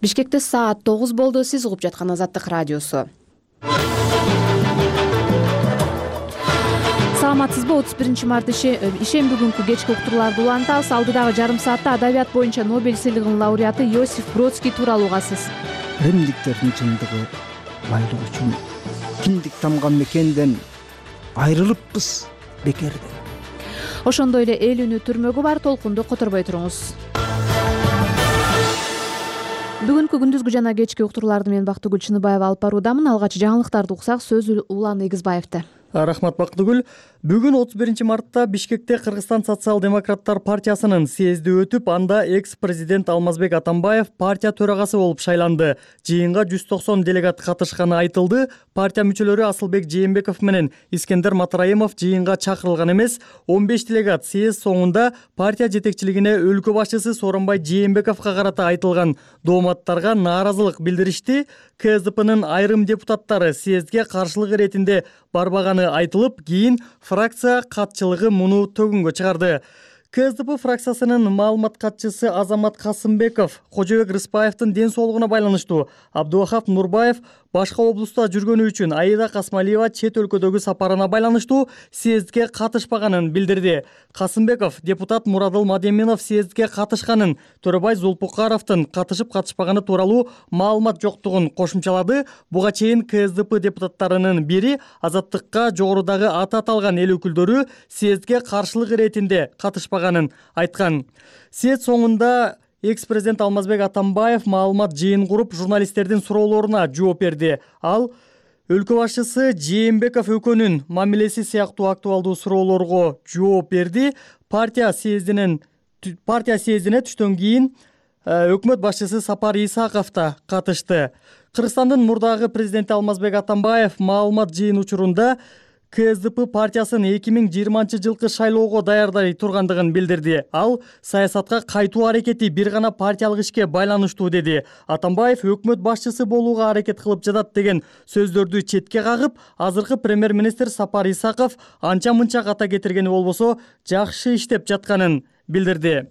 Бишкекте саат 9 болду. Сиз угуп жаткан Азаттык радиосу. Саламатсызбы? 31-март ишемби күнкү кечки уктурууларды улантабыз. Алдыдагы жарым саатта адабият боюнча Нобель сыйлыгынын лауреаты Йосиф Бродский тууралуу угасыз. Римдиктердин чындыгы байлык үчүн киндик тамган мекенден айрылыппыз бекерден. Ошондой эле эл үнү түрмөгү бар. Толкунду которбой туруңуз. Бүгүнкү күндүзгү жана кечки уктурууларды мен Бактыгүл Чыныбаева алып баруудамын. Алгач жаңылыктарды уксак, сөз Улан Эгизбаевде. Рахмат Бактыгүл. Бүгүн 31-мартта Бишкекте Кыргызстан социал-демократтар партиясынын съезди өтүп, анда экс-президент Алмазбек Атамбаев партия төрагасы болуп шайланды. Жыйынга 190 делегат катышканы айтылды. Партия мүчөлөрү Асылбек Жээнбеков менен Искендер Матраимов жыйынга чакырылган эмес. 15 делегат съезд соңунда партия жетекчилигине өлкө башчысы Сооронбай Жээнбековго карата айтылган дооматтарга нааразылык билдиришти. КСДПнын айрым депутаттары съездге каршылык иретинде барбаганы айтылып, кийин фракция катчылыгы муну төгүнгө чыгарды. КСДП фракциясынын маалымат катчысы Азамат Касымбеков Кожобек Рыспаевдин ден соолугуна байланыштуу. Абдувахап Нурбаев башка облустта жүргөнү үчүн Аида Касмалиева чет өлкөдөгү сапарына байланыштуу съездге катышпаганын билдирди. Касымбеков депутат Мурадыл Мадеминов съездге катышканын, Төрөбай Зулпукаровдун катышып-катышпаганы тууралуу маалымат жоктугун кошумчалады. Буга чейин КСДП депутаттарынын бири Азаттыкка жогорудагы аты аталган эл өкүлдөрү съездге каршылык иретинде катышпаганын айткан. Съезд соңунда экс-президент Алмазбек Атамбаев маалымат жыйын куруп, журналисттердин суроолоруна жооп берди. Ал өлкө башчысы Жээнбеков өкөнүн мамилеси сыяктуу актуалдуу суроолорго жооп берди. Партия съездине түштөн кийин өкмөт башчысы Сапар Исаков да катышты. Кыргызстандын мурдагы президенти Алмазбек Атамбаев маалымат жыйын учурунда КСДП партиясын 2020-жылкы шайлоого даярдай тургандыгын билдирди. Ал саясатка кайтуу аракети бир гана партиялык ишке байланыштуу деди. Атамбаев өкмөт башчысы болууга аракет кылып жатат деген сөздөрдү четке кагып, азыркы премьер-министр Сапар Исаков анча-мынча ката кетиргени болбосо жакшы иштеп жатканын билдирди.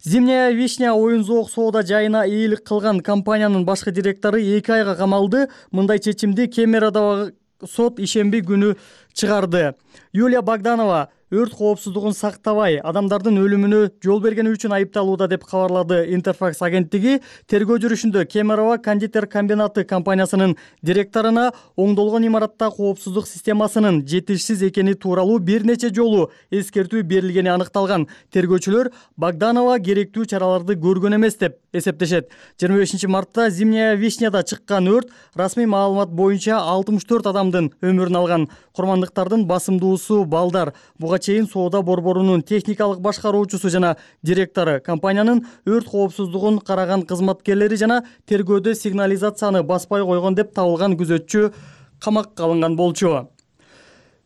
Зимняя вишня оюн-зоок соода жайына ийгилик кылган компаниянын башкы директору 2 айга камалды. Мындай чечимди Кемерадагы сот ишемби күнү чыгарды. Юлия Богданова өрт коопсуздугун сактабай, адамдардын өлүмүнө жол бергени үчүн айыпталууда деп кабарлады Интерфакс агенттиги. Тергөө жүрүшүндө Кемерово кондитер комбинаты компаниясынын директоруна оңдолгон имаратта коопсуздук системасынын жетишсиз экени тууралуу бир нече жолу эскертүү берилгени аныкталган. Тергөөчүлөр Богданова керектүү чараларды көргөн эмес деп эсептешет. 25-мартта Зимняя вишняда чыккан өрт расмий маалымат боюнча 64 адамдын өмүрүн алган. Курмандыктардын басымдуусу балдар. Буга чейин соода борборунун техникалык башкаруучусу жана директору, компаниянын өрт коопсуздугун караган кызматкерлери жана тергөөдө сигнализацияны баспай койгон деп табылган күзөтчү камакка алынган болчу.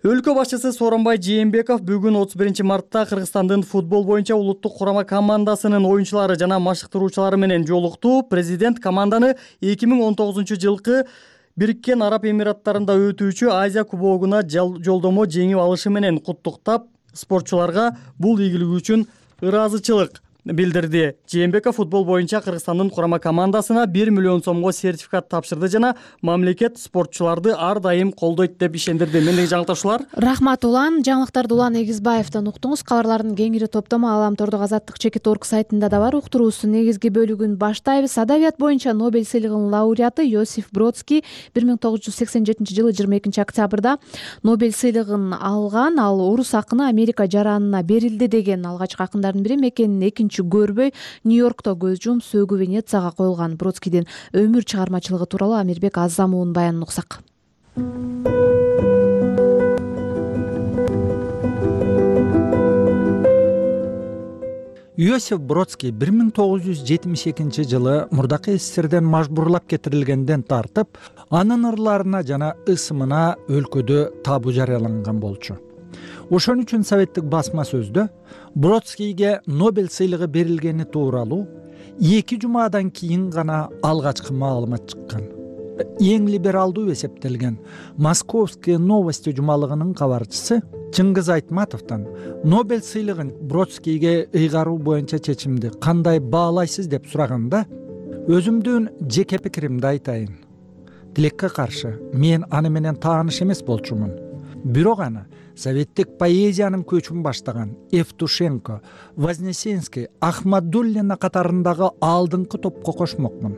Өлкө башчысы Сооронбай Жээнбеков бүгүн 31-мартта Кыргызстандын футбол боюнча улуттук курама командасынын оюнчулары жана машыктыруучулары менен жолукту. Президент команданы 2019-жылкы Бириккен Араб Эмираттарында өтүүчү Азия кубогуна жолдомо жеңип алышы менен куттуктап, спортчуларга бул ийгилиги үчүн ыраазычылык билдирди. Жээнбеков футбол боюнча Кыргызстандын курама командасына 1 миллион сомго сертификат тапшырды жана мамлекет спортчуларды ар дайым колдойт деп ишендирди. Мендеги жаңылыкташуулар. Рахмат Улан. Жаңылыктарды Улан Эгизбаевден уктуңуз. Кабарлардын кеңири топтому Аламтордук Азаттык.org сайтында да бар. Уктуруубуздун негизги бөлүгүн баштайбыз. Адабият боюнча Нобель сыйлыгынын лауреаты Йосиф Бродский 1987-жылы 22-октябрда Нобель сыйлыгын алган. Ал орус акыны Америка жаранына берилди деген алгачкы акындардын бири. Мекенин көрбөй Нью-Йоркто көз жумуп, сөөгү Венецияга коюлган. Бродскийдин өмүр чыгармачылыгы тууралуу Амирбек Азамовдун баянын уксак. Йосиф Бродский 1972-жылы мурдакы СССРден мажбурлап кетирилгенден тартып, анын ырларына жана ысымына өлкөдө табуу жарыяланган болчу. Ошон үчүн советтик басма сөздө Бродскийге Нобель сыйлыгы берилгени тууралуу 2 жумадан кийин гана алгачкы маалымат чыккан. Эң либералдуу эсептелген Московские новости жумалыгынын кабарчысы Чыңгыз Айтматовдон Нобель сыйлыгын Бродскийге ыйгаруу боюнча чечимди кандай баалайсыз деп сураганда, өзүмдүн жеке пикиримди айтайын. Тилекке каршы мен аны менен тааныш эмес болчумун. Бирок аны советтик поэзиянын көчүн баштаган Евтушенко, Вознесенский, Ахмадуллина катарындагы алдыңкы топко кошмокмун.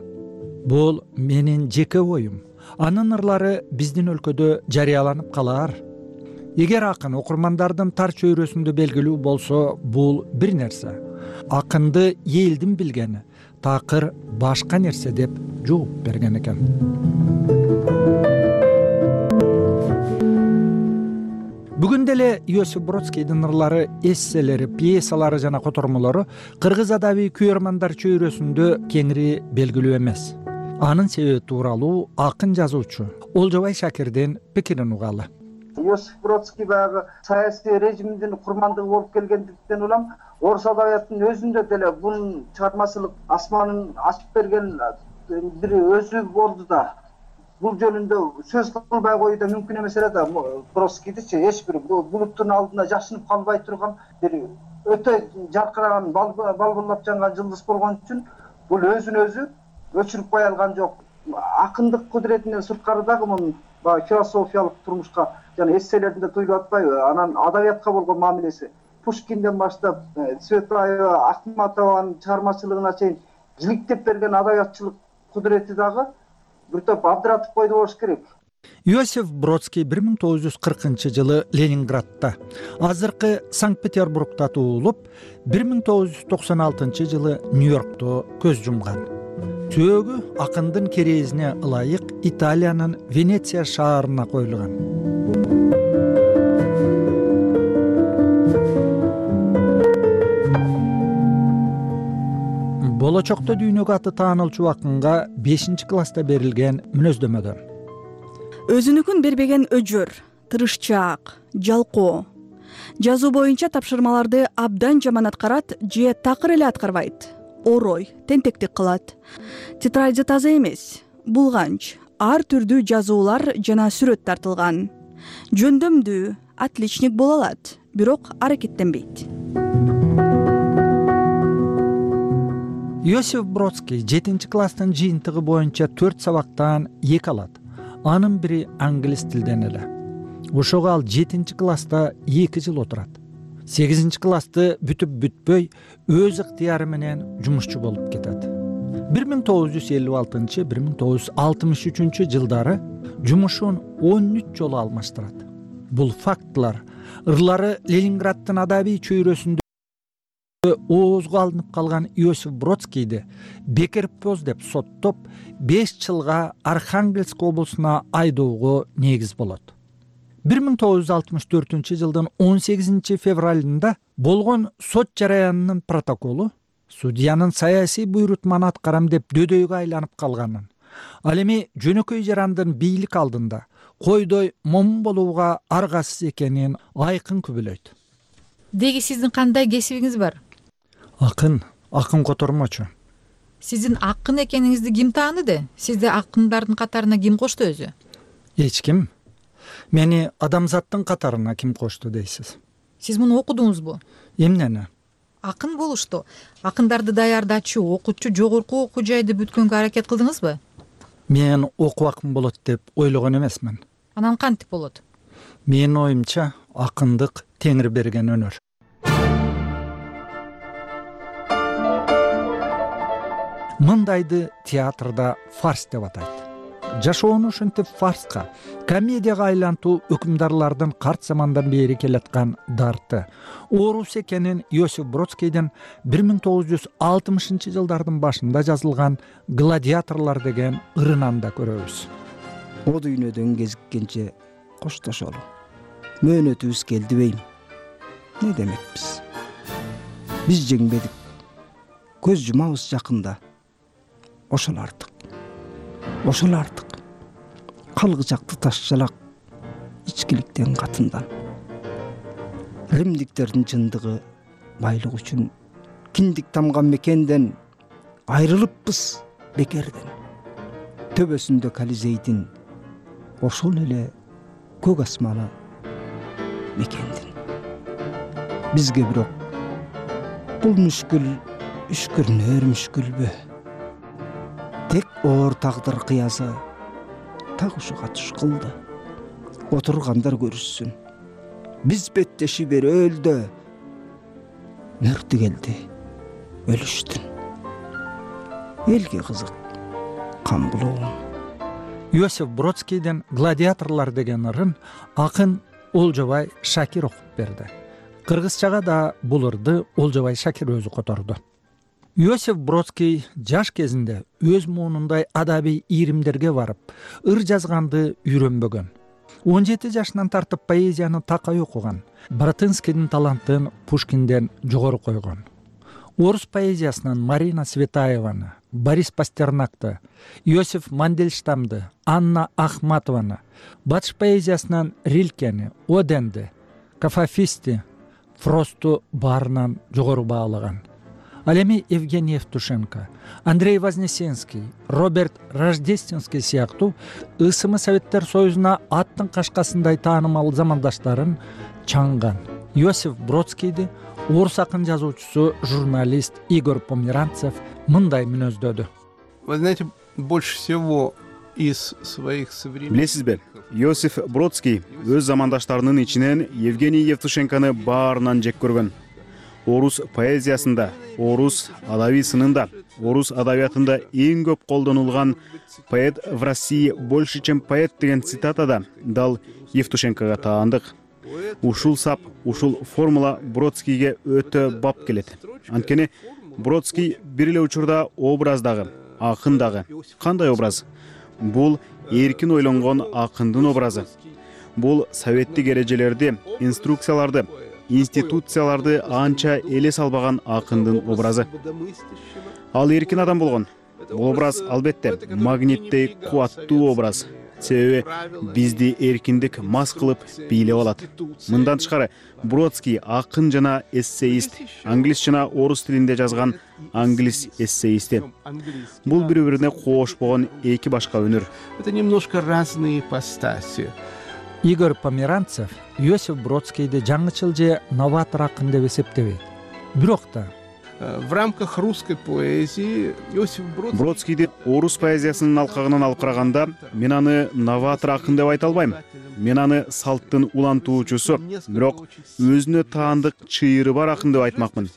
Бул менин жеке оюм. Анын ырлары биздин өлкөдө жарыяланып калаар. Эгер акын окурмандардын тар чөйрөсүндө белгилүү болсо, бул бир нерсе. Акынды элдин билгени такыр башка нерсе деп жооп берген экен. Бүгүн деле Иосиф Бродскийдин ырлары, эсселери, пьесалары жана котормолору кыргыз адабий күйөрмандар чөйрөсүндө кеңири белгилүү эмес. Анын себеби тууралуу акын жазуучу Олжобай Шакирдин пикирин угалы. Иосиф Бродский баягы саясий режимдин курмандыгы болуп келгендиктен улам орус адабиятынын өзүндө деле бунун чыгармачылык асманын ачып берген бир өзү болду да. Бул жөнүндө сөз кылбай коюу да мүмкүн эмес эле да. Бродскийдичи эч бир булуттун алдында жашынып калбай турган бир өтө жаркыраган балбырлап жанган жылдыз болгон үчүн бул өзүн өзү өчүрүп кое алган жок. Акындык кудуретинен сырткары дагы мунун философиялык турмушка жана эсселеринде туюлуп атпайбы? Анан адабиятка болгон мамилеси Пушкинден баштап Цветаева, Ахматованын чыгармачылыгына чейин жиликтеп берген адабиятчылык кудурети дагы бир топ абдыратып койду болуш керек. Иосиф Бродский 1940-жылы Ленинградта, азыркы Санкт-Петербургда туулуп, 1996-жылы Нью-Йоркто көз жумган. Сөөгү акындын керезине ылайык Италиянын Венеция шаарына коюлган. Болочокто дүйнөгө аты таанылчу акынга 5-класста берилген мүнөздөмөдөн: өзүнүкүн бербеген өжөр, тырышчаак, жалкоо. Жазуу боюнча тапшырмаларды абдан жаман аткарат же такыр эле аткарбайт. Орой, тентектик кылат. Тетради таза эмес, булганч, ар түрдүү жазуулар жана сүрөт тартылган. Жөндөмдүү, отличник боло алат, бирок аракеттенбейт. Иосиф Бродский 7-класстын жыйынтыгы боюнча 4 сабактан 2 алат. Анын бири англис тилден эле. Ошого ал 7-класста 2 жыл отурат. 8-классты бүтүп бүтпөй өз ыктыяры менен жумушчу болуп кетет. 1956-1963 жылдары жумушун 13 жолу алмаштырат. Бул фактылар ырлары Ленинграддын адабий чөйрөсүндө оозго алынып калган Иосиф Бродскийди бекерпоз деп соттоп 5 жылга Архангельск облусуна айдоого негиз болот. 1964-жылдын 18 февралында болгон сот жараянынын протоколу судьянын саясий буйрутманы аткарам деп дөдөйгө айланып калганын, ал эми жөнөкөй жарандын бийлик алдында койдой момун болууга аргасыз экенин айкын күбөлөйт. Деги сиздин кандай кесибиңиз бар? Акын котормочу. Сиздин акын экениңизди ким тааныды? Сизди акындардын катарына ким кошту өзү? Эч ким. Мени адамзаттын катарына ким кошту дейсиз? Сиз муну окудуңузбу? Эмнени? Акын болушту. Акындарды даярдачу, окутчу жогорку окуу жайды бүткөнгө аракет кылдыңызбы? Мен окуу акын болот деп ойлогон эмесмин. Анан кантип болот? Менин оюмча, акындык Теңир берген өнөр. Мындайды театрда фарс деп атайт. Жашоону ушинтип фарска, комедияга айлантуу өкүмдарлардын карт замандан бери келаткан дарты, оорус экенин Иосиф Бродскийдин 1960-жылдардын башында жазылган «Гладиаторлор» деген ырынан да көрөбүз. О дүйнөдөн кезиккенче коштошолу. Мөөнөтүбүз келди бейм. Не демекпиз? Биз жеңбедик. Көз жумабыз жакында. Ошол артык. Калгычакты ташчалак ичкиликтен катындан. Римдиктердин чындыгы байлык үчүн киндик тамган мекенден айрылыппыз бекерден. Төбөсүндө Колизейдин ошол эле көк асманы мекендин. Бизге бирок бул мүшкүл үшкүрнөр мүшкүлбү? тек оор тагдыр кыязы так ушуга туш кылды. Отургандар көрүшсүн, биз беттеши бери өлдө, мөртү келди өлүштүн. Элге кызык кам булугум. Иосиф Бродскийден «Гладиаторлар» деген ырын акын Олжобай Шакир окуп берди. Кыргызчага да бул ырды Олжобай Шакир өзү которду. Иосиф Бродский жаш кезинде өз муунундай адабий ийримдерге барып, ыр жазганды үйрөнбөгөн. 17 жашынан тартып поэзияны такай окуган. Баратынскийдин талантын Пушкинден жогору койгон. Орус поэзиясынан Марина Светаеваны, Борис Пастернакты, Иосиф Мандельштамды, Анна Ахматованы, батыш поэзиясынан Рилкени, Оденди, Кафафисти, Фросту баарынан жогору баалаган. Ал эми Евгений Евтушенко, Андрей Вознесенский, Роберт Рождественский сыяктуу ысымы Советтер Союзуна аттын кашкасындай таанымал замандаштарын чаңган. Иосиф Бродскийди орус акын жазуучусу, журналист Игорь Померанцев мындай мүнөздөдү. Вы знаете, больше всего из своих современников... Билесизби, Иосиф Бродский өз замандаштарынын ичинен Евгений Евтушенконы баарынан жек көргөн. Орус поэзиясында, орус адабий сынында, орус адабиятында эң көп колдонулган «Поэт в России больше, чем поэт» деген цитатада дал Евтушенкого таандык. Ушул сап, ушул формула Бродскийге өтө бап келет. Анткени Бродский бир эле учурда образ дагы, акын дагы. Кандай образ? Бул эркин ойлонгон акындын образы. Бул советтик эрежелерди, инструкцияларды, институцияларды анча эле салбаган акындын образы. Ал эркин адам болгон. Бул образ албетте магниттей кубаттуу образ. Себеби бизди эркиндик мас кылып бийлеп алат. Мындан тышкары Бродский акын жана эссеист, англис жана орус тилинде жазган англис эссеисти. Бул бири-бирине кошпогон эки башка өнөр. Это немножко разные ипостаси. Игорь Померанцев Иосиф Бродскийди жаңычыл же новатор акын деп эсептебейт. Бирок да В рамках русской поэзии Иосиф Бродскийди орус поэзиясынын алкагынан алып караганда, мен аны новатор акын деп айта албайм. Мен аны салттын улантуучусу, бирок өзүнө таандык чыйыры бар акын деп айтмакмын.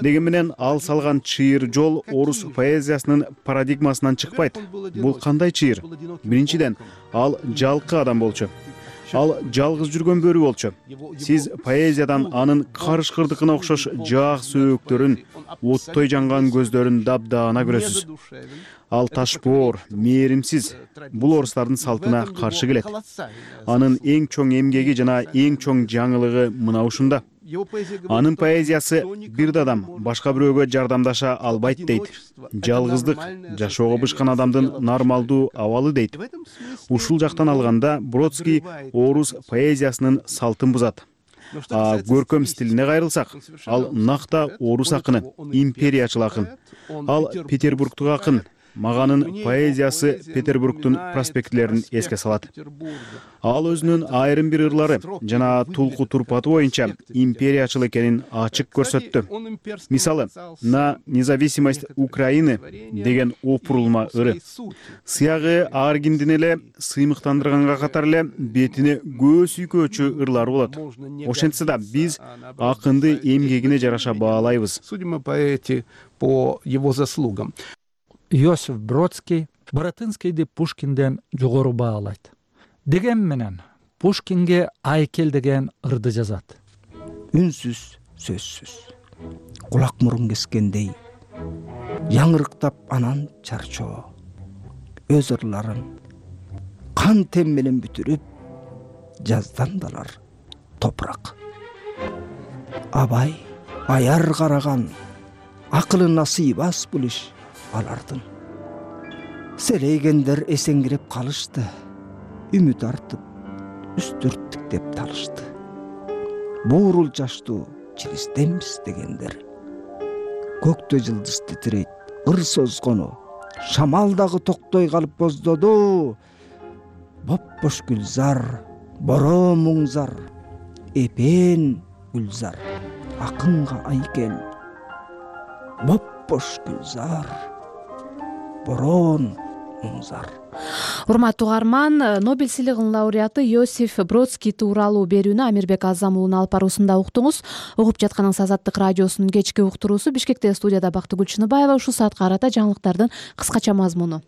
Деген менен ал салган чыйыр жол орус поэзиясынын парадигмасынан чыкпайт. Бул кандай чыйыр? Биринчиден, ал жалкы адам болчу. Ал жалгыз жүргөн бөрү болчу. Сиз поэзиядан анын карышкырдыкына окшош жаак сөөктөрүн, оттой жанган көздөрүн дабдаана көрөсүз. Ал ташпоор, мээримсиз. Бул орустардын салтына каршы келет. Анын эң чоң эмгеги жана эң чоң жаңылыгы мына ушунда. Анын поэзиясы бир да адам башка бирөөгө жардамдаша албайт дейт. Жалгыздык жашоого бышкан адамдын нормалдуу абалы дейт. Ушул жактан алганда Бродский орус поэзиясынын салтын бузат. Көркөм стилине кайрылсак, ал накта орус акыны, империячыл акын. Ал Петербургтук акын. Маганын поэзиясы Петербургтун проспектилерин эске салат. Ал өзүнүн айрым бир ырлары жана тулку турпаты боюнча империячыл экенин ачык көрсөттү. Мисалы, «На независимость Украины» деген опурулма ыры. Сыягы аргиндин эле сыймыктандырганга катар эле бетине көө сүйкөөчү ырлары болот. Ошентсе да биз акынды эмгегине жараша баалайбыз. Судим о поэте по его заслугам. Иосиф Бродский Баратынскийди Пушкинден жогору баалайт. Деген менен Пушкинге айкел деген ырды жазат. Үнсүз, сөзсүз, кулак мурун кескендей, яңырыктап анан чарчоо. Өз ырларын кан тем менен бүтүрүп, жаздан далар топурак. Абай аяр караган, акылына сыйбас бул иш алардын. Селейгендер эсеңгирип калышты, үмүт артып, үстүрттүк деп талышты. Буурул жаштуу чиристемиз дегендер. Көктө жылдыз титирейт, ыр созгону, шамал дагы токтой калып боздоду. Бопбош гүлзар, боро муңзар, эпен гүлзар, акынга айкел. Бопбош гүлзар, бороон муңзар. Урматтуу угарман, Нобель сыйлыгынын лауреаты Йосиф Бродский тууралуу берүүнү Амирбек Азам уулунун алып баруусунда уктуңуз. Угуп жатканыңыз Азаттык радиосунун кечки уктуруусу. Бишкекте студияда Бактыгүл Чыныбаева. Ушул саатка карата жаңылыктардын кыскача мазмуну.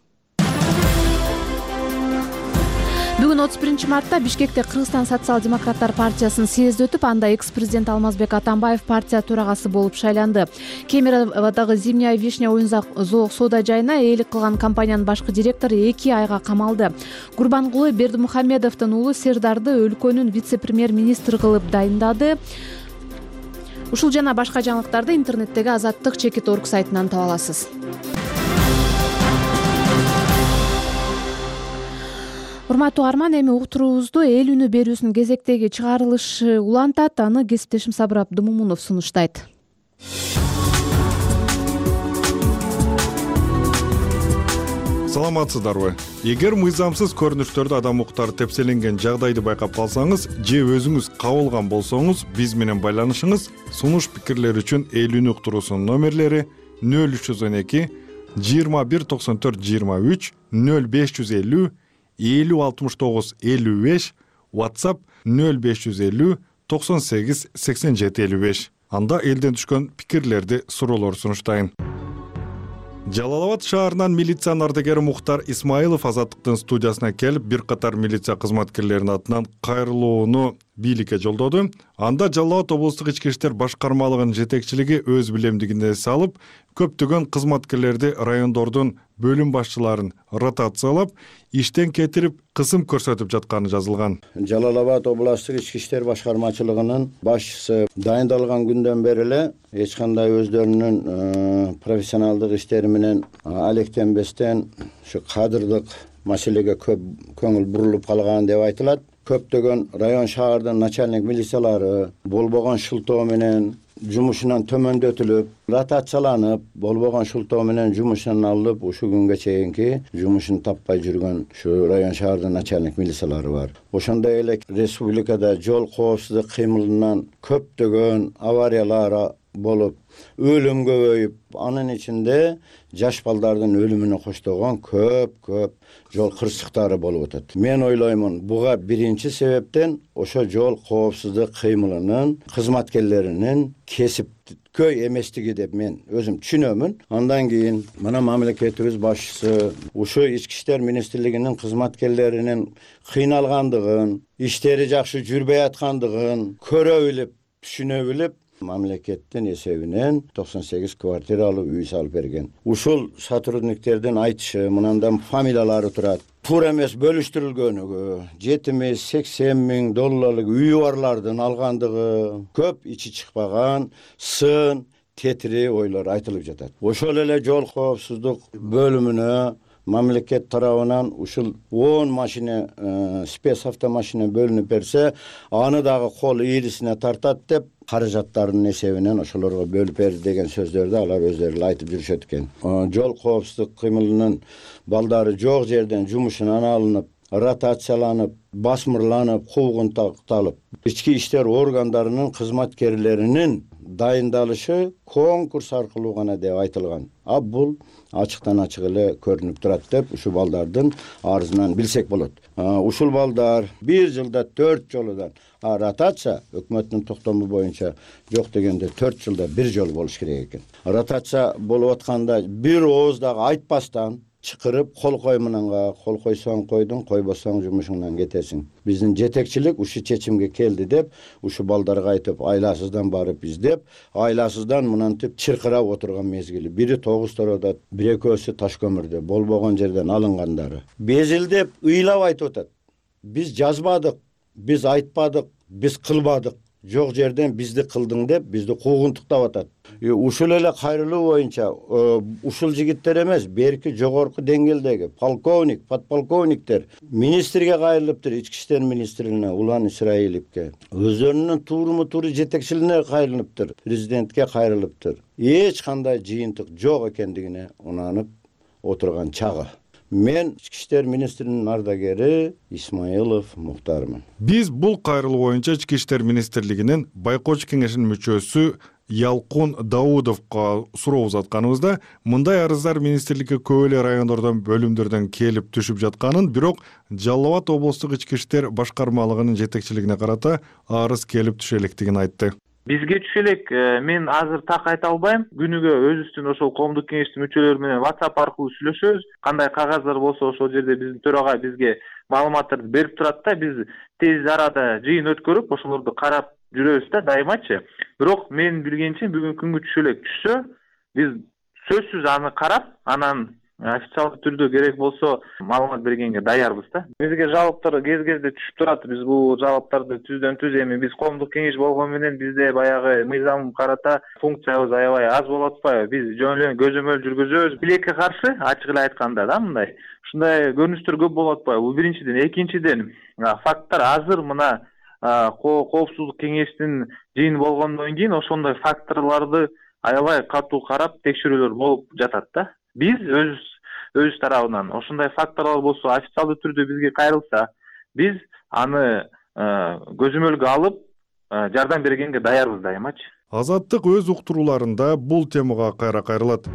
Бүгүн 31 мартта Бишкекте Кыргызстан социал-демократтар партиясынын съезди өтүп, анда экс-президент Алмазбек Атамбаев партия төрагасы болуп шайланды. Кемеровдогу Зимняя вишня оюн-зоок соода жайына ээлик кылган компаниянын башкы директору 2 айга камалды. Курбангулы Бердимухамедовдун уулу Сердарды өлкөнүн вице-премьер-министри кылып дайындады. Ушул жана башка жаңылыктарды интернеттеги Азаттык.org сайтынан таба аласыз. Урматтуу угарман, эми уктуруубузду эл үнү берүүсүнүн кезектеги чыгарылышы улантат. Аны кесиптешим Сабыр Абдымомунов сунуштайт. Саламатсыздарбы? Эгер мыйзамсыз көрүнүштөрдү адам укуктары тепселенген жагдайды байкап калсаңыз же өзүңүз кабылган болсоңуз, биз менен байланышыңыз. Сунуш пикирлер үчүн эл үнү уктуруусунун номерлери 0312 2194 23 0550 506955, WhatsApp 0550 98 87 55. Анда элден түшкөн пикирлерди, суроолор сунуштайын. Жалал-Абад шаарынан милициянын ардагери Мухтар Исмаилов Азаттыктын студиясына келип, бир катар милиция кызматкерлеринин атынан кайрылууну бийликке жолдоду. Анда Жалал-Абад облустук ички иштер башкармалыгынын жетекчилиги өз билемдигине салып, көптөгөн кызматкерлерди райондордун бөлүм башчыларын ротациялап, иштен кетирип, кысым көрсөтүп жатканы жазылган. Жалал-Абад областык ички иштер башкармачылыгынын башчысы дайындалган күндөн бери эле эч кандай өздөрүнүн профессионалдык иштери менен алектенбестен ушу кадырдык маселеге көп көңүл бурулуп калган деп айтылат. Көптөгөн район шаардын начальник милициялары болбогон шылтоо менен жумушунан төмөндөтүлүп, ротацияланып, болбогон шылтоо менен жумушунан алынып, ушу күнгө чейинки жумушун таппай жүргөн ушу район шаардын начальник милициялары бар. Ошондой эле республикада жол коопсуздук кыймылынан көптөгөн авариялар болуп, өлүм көбөйүп, анын ичинде жаш балдардын өлүмүнө коштогон көп жол кырсыктары болуп атат. Мен ойлоймун, буга биринчи себептен ошо жол коопсуздук кыймылынын кызматкерлеринин кесипкөй эместиги деп мен өзүм түшүнөмүн. Андан кийин мына мамлекетибиз башчысы ушу ички иштер министрлигинин кызматкерлеринин кыйналгандыгын, иштери жакшы жүрбөй аткандыгын көрө билип, түшүнө билип, мамлекеттин эсебинен 98 квартиралуу үй салып берген. Ушул сотрудниктердин айтышы, мындан фамилиялары турат. Туура эмес бөлүштүрүлгөнүгү, 70-80 миң долларлык үйү барлардын алгандыгы, көп ичи чыкпаган, сын, тетири ойлор айтылып жатат. Ошол эле жол коопсуздук бөлүмүнө мамлекет тарабынан ушул 10 машина, спец автомашина бөлүнүп берсе, аны дагы кол ийрисине тартат деп, каражаттарынын эсебинен ошолорго бөлүп берди деген сөздөрдү алар өздөрү айтып жүрүшөт экен. Жол коопсуздук кыймылынын балдары жок жерден жумушунан алынып, ротацияланып, басмырланып, куугун такталып, ички иштер органдарынын кызматкерлеринин дайындалышы конкурс аркылуу гана деп айтылган. А бул ачыктан ачык эле көрүнүп турат деп ушу балдардын арызынан билсек болот. Ушул балдар бир жылда 4 жолудан ротация өкмөттүн токтому боюнча жок дегенде 4 жылда бир жолу болуш керек экен. Ротация болуп атканда бир ооз дагы айтпастан чакырып, кол кой менен кол койсоң койдуң, койбосоң жумушуңдан кетесиң. Биздин жетекчилик ушу чечимге келди деп, ушу балдарга айтып, айласыздан барып издеп, айласыздан мынантип чыркырап отурган мезгили. Бири 9 тороодо, бир экөөсү таш көмүрдө, болбогон жерден алынгандары. Безилдеп, ыйлап айтып атат. Биз жазбадык, биз айтпадык, биз кылбадык. Жок жерден бизди кылдың деп, бизди куугунтуктап атат. Ушул эле кайрылуу боюнча ушул жигиттер эмес, берки жогорку деңгээлдеги полковник, подполковниктер министрге кайрылыптыр, ички иштер министрине Улан Исраиловке, өздөрүнүн тууру жетекчилине кайрылыптыр, президентке кайрылыптыр. Эч кандай жыйынтык жок экендигине унанып отурган чагы. Мен ички иштер министринин ардагери Исмаилов Мухтармын. Биз бул кайрылуу боюнча ички иштер министрлигинин байкоочу кеңешинин мүчөсү Ялкун Даудовго суроо узатканыбызда мындай арыздар министрликке көп эле райондордон бөлүмдөрдөн келип түшүп жатканын, бирок Жалал Абад облустук ички иштер башкармалыгынын жетекчилигине карата арыз келип түшө электигин айтты. Бизге түшө элек, мен азыр так айта албайм. Күнүгө өзүбүздүн ошол коомдук кеңештин мүчөлөрү менен WhatsApp аркылуу сүйлөшөбүз. Кандай кагаздар болсо ошол жерде биздин төрага бизге маалыматтарды берип турат да, биз тез арада жыйын өткөрүп, ошолорду карап жүрөбүз да дайымачы. Бирок мен билгенче бүгүнкү күнгө түшө элек түшсө, биз сөзсүз аны карап, анан официалдуу түрдө керек болсо маалымат бергенге даярбыз да. Бизге жалоптор кез-кезде түшүп турат. Биз бул жалоптарды түздөн түз эми биз коомдук кеңеш болгону менен бизде баягы мыйзам карата функциябыз аябай аз болуп атпайбы? Биз жөн эле көзөмөл жүргүзөбүз. Билекке каршы, ачык эле айтканда да, мындай. Ушундай көрүнүштөр көп болуп атпайбы? Бул биринчиден. Экинчиден, факттар азыр мына коопсуздук кеңештин жыйыны болгондон кийин ошондой факторлорду аябай катуу карап текшерүүлөр болуп жатат да. Биз өз тарабынан ошондой факторлор болсо официалдуу түрдө бизге кайрылса, биз аны көзөмөлгө алып жардам бергенге даярбыз дайымачы. Азаттык өз уктурууларында бул темага кайра кайрылат.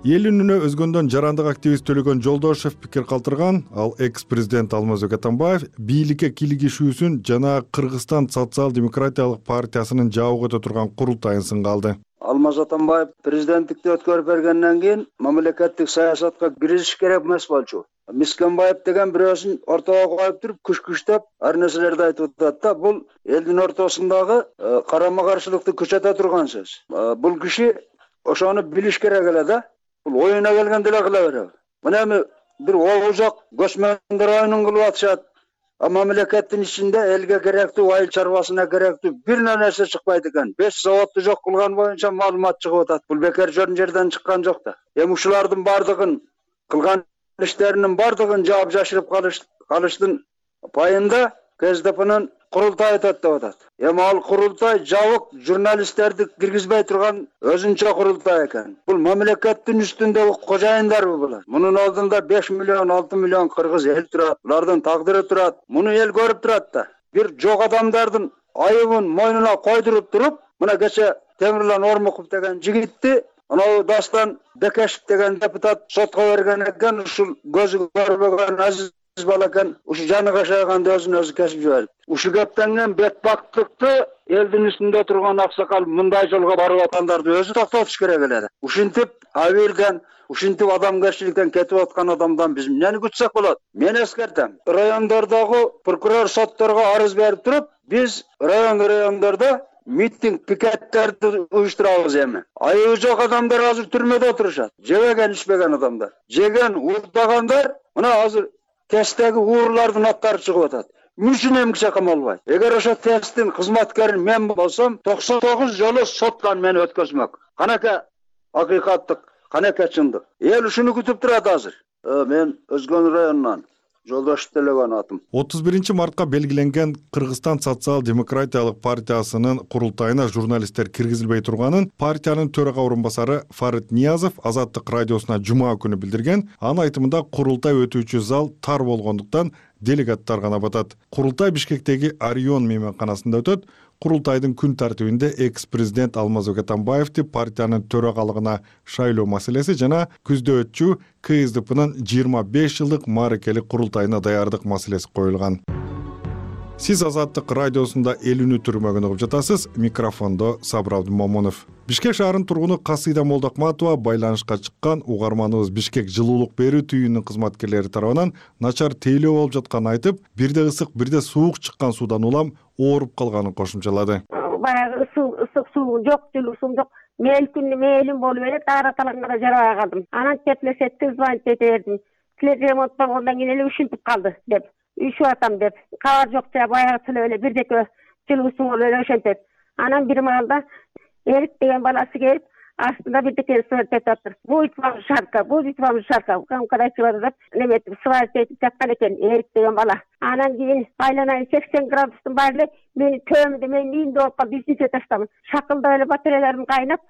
Эл үнүнө өзгөндөн жарандык активист Төлөгөн Жолдошев пикир калтырган. Ал экс-президент Алмазбек Атамбаев бийликке кийлигишүүсүн жана Кыргызстан социал-демократиялык партиясынын жабык өтө турган курултайын сынга алды. Алмаз Атамбаев президенттикти өткөрүп бергенден кийин мамлекеттик саясатка киришиш керек эмес болчу. Мискенбаев деген бирөөсүн ортого коюп туруп, күч-күчтөп ар нерселерди айтып атат да. Бул элдин ортосундагы карама-каршылыкты күчөтө турган сөз. Бул киши ошону билиш керек эле да. Бул оюна келгенде эле кыла берет. Мына эми бир оозак көчмөндөр оюнун кылып атышат. Мамлекеттин ичинде элге керектүү, айыл чарбасына керектүү бир нерсе чыкпайт экен. 5 заводду жок кылган боюнча маалымат чыгып атат. Бул бекер жөн жерден чыккан жок да. Эми ушулардын бардыгын кылган иштеринин бардыгын жаап жашырып калыштын пайында КСДПнын курултай өтөт деп атат. Эми ал курултай жабык журналисттерди киргизбей турган өзүнчө курултай экен. Бул мамлекеттин үстүндөгү кожоюндарбы булар? Мунун алдында 5 миллион, 6 миллион кыргыз эл турат. Булардын тагдыры турат. Муну эл көрүп турат да. Бир жок адамдардын айыбын мойнуна койдуруп туруп, мына кече Темирлан Ормуков деген жигитти анау Дастан Бекешев деген депутат сотко берген экен. Ушул көзү көрбөгөн азиз бала экен. Ушу жаны кашайганда өзүн өзү кесип жиберди. Ушу кептенген бетбактыкты элдин үстүндө турган аксакал мындай жолго барып аткандарды өзү токтотуш керек эле. Ушинтип абийирден, ушинтип адамгерчиликтен кетип аткан адамдан биз эмнени күтсөк болот? Мен эскертем. Райондордогу прокурор сотторго арыз берип туруп, биз райондордо митинг, пикеттерди уюштурабыз эми. Айыбы жок адамдар азыр түрмөдө отурушат. Жебеген, ичпеген адамдар. Жеген, уурдагандар мына азыр тесттеги уурлардын аттары чыгып атат. Мүчүн эмгиче камалбайт. Эгер ошо тесттин кызматкери мен болсом, 99 жолу соттан мени өткөзмөк. Канаке акыйкаттык, канаке чындык. Эл ушуну күтүп турат азыр. Мен Өзгөн районунан Жолдош Төлөгөн атым. 31 мартка белгиленген Кыргызстан социал-демократиялык партиясынын курултайына журналисттер киргизилбей турганын партиянын төрага орун басары Фарид Ниязов Азаттык радиосуна жума күнү билдирген. Анын айтымында курултай өтүүчү зал тар болгондуктан делегаттар гана батат. Курултай Бишкектеги Орион мейманканасында өтөт. Курултайдын күн тартибинде экс-президент Алмазбек Атамбаевди партиянын төрагалыгына шайлоо маселеси жана күздө өтчү КСДПнын 25 жылдык мааракелик курултайына даярдык маселеси коюлган. Сиз Азаттык радиосунда эл үнү түрмөгүн угуп жатасыз. Микрофондо Сабыр Абдымомунов. Бишкек шаарынын тургуну Касыйда Молдокматова байланышка чыккан. Угарманыбыз Бишкек жылуулук берүү түйүнүнүн кызматкерлери тарабынан начар тейлөө болуп жатканын айтып, бирде ысык, бирде суук чыккан суудан улам ооруп калганын кошумчалады. Баягы ысык суу жок, жылуу суу жок. Мээлим болуп эле таараталанганда жарабай калдым. Анан теплесетти звонить ете бердим. Тилер ремонт болгондон кийин эле ушинтип калды деп. Үйшүп атам деп. Кабар жок жа баягы тилеп эле бирдеке жылуу суу болуп эле ошентет. Анан бир маалда Эрик деген баласы келип, астында бирдеке сварить атыр. Будет вам жарко. Когда чыгат неметип сварить этип жаткан экен Эрик деген бала. Анан кийин айланайын 80 градустун баары эле мени төмүндө мен ийинде болуп калып бизнеске таштадым. Шакылдап эле батареяларым кайнап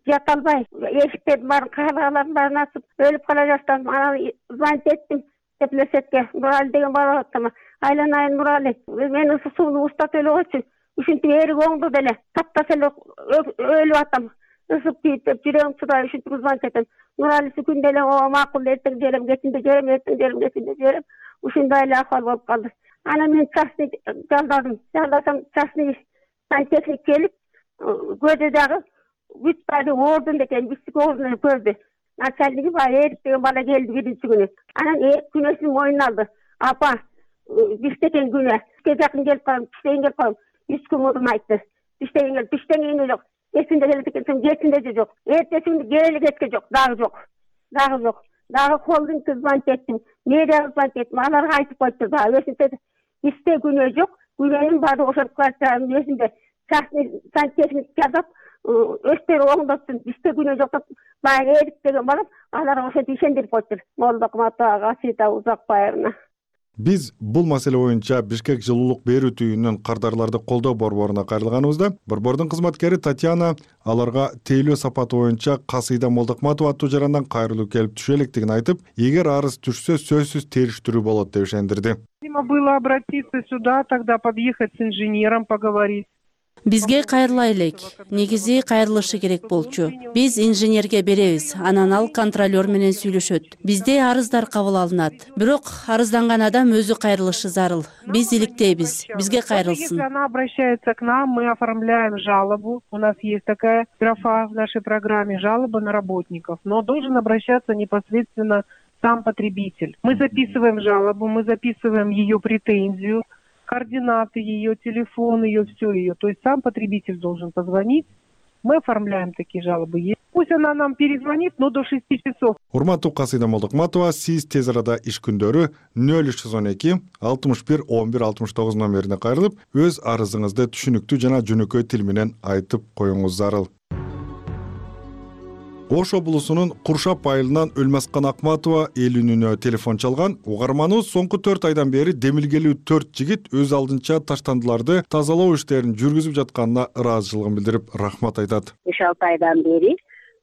жата албай, эшиктердин баарын каалаларын баарын ачып өлүп кала баштадым. Анан звонить эттим теплесетке. Нурали деген бала аттама. Айланайын Нурали. Мен ысык сууну устатып эле койчу. ушинтип эрик оңду деле таптаса эле өлүп атам. Ысып тийип жүрөгүм чыдай ушинтип звонить этем. Нуралиси күндө эле макул эртең жерем, кечинде жерем, эртең жерем, кечинде жерем. Ушундай эле акыбал болуп калды. Анан мен частный жалдадым. Жалдасам частный сантехник келип, көзү дагы бүт баары ордун экен, биздики ордун көрдү. Начальниги баягы Эрик деген бала келди биринчи күнү. Анан күнөөсүн мойнуна алды. Апа, биштеген күнө, бизге жакын келип калам, биштеген келип калам. 3 күн мурун айтты. Биштеген жок. Эсинде келип кетсем, кечинде же жок. Эртеси күнү келели кеткен жок, дагы жок. Дагы холдингке звонить эттим, мэрияга звонить эттим. Аларга айтып койту дагы. Өсүнтө бизде күнөө жок. Күнөөнүн баары ошол квартиранын өзүндө частный сантехник жазып, өздөрү оңдоттун. Бизде күнөө жок деп баягы Эрик деген бала аларга ошентип ишендирип койтур. Молдокматова Асита Узакбаевна. Биз бул маселе боюнча Бишкек жылуулук берүү түйүнүнөн кардарларды колдоо борборуна кайрылганыбызда борбордун кызматкери Татьяна аларга тейлөө сапаты боюнча Касыйда Молдокматова аттуу жарандан кайрылуу келип түшө электигин айтып, эгер арыз түшсө сөзсүз териштирүү болот деп ишендирди. Необходимо было обратиться сюда, тогда подъехать с инженером, поговорить. Бизге кайрыла элек. Негизи кайрылышы керек болчу. Биз инженерге беребиз, анан ал контролер менен сүйлөшөт. Бизде арыздар кабыл алынат. Бирок арызданган адам өзү кайрылышы зарыл. Биз иликтейбиз. Бизге кайрылсын. Если она обращается к нам, мы оформляем жалобу. У нас есть такая графа в нашей программе жалобы на работников. Но должен обращаться непосредственно сам потребитель. Мы записываем жалобу, мы записываем ее претензию, координаты ее, телефон ее, все ее. То есть сам потребитель должен позвонить. Мы оформляем такие жалобы. Пусть она нам перезвонит, но до 6 часов. Урматтуу Касыйда Молдокматова, сиз тез арада иш күндөрү 0312 61 11 69 номерине кайрылып, өз арызыңызды түшүнүктүү жана жөнөкөй тил менен айтып коюңуз зарыл. Ош облусунун Куршап айылынан Өлмаскан Акматова эл үнүнө телефон чалган. Угарманыбыз соңку 4 айдан бери демилгелүү 4 жигит өз алдынча таштандыларды тазалоо иштерин жүргүзүп жатканына ыраазычылыгын билдирип, рахмат айтат. 5-6 айдан бери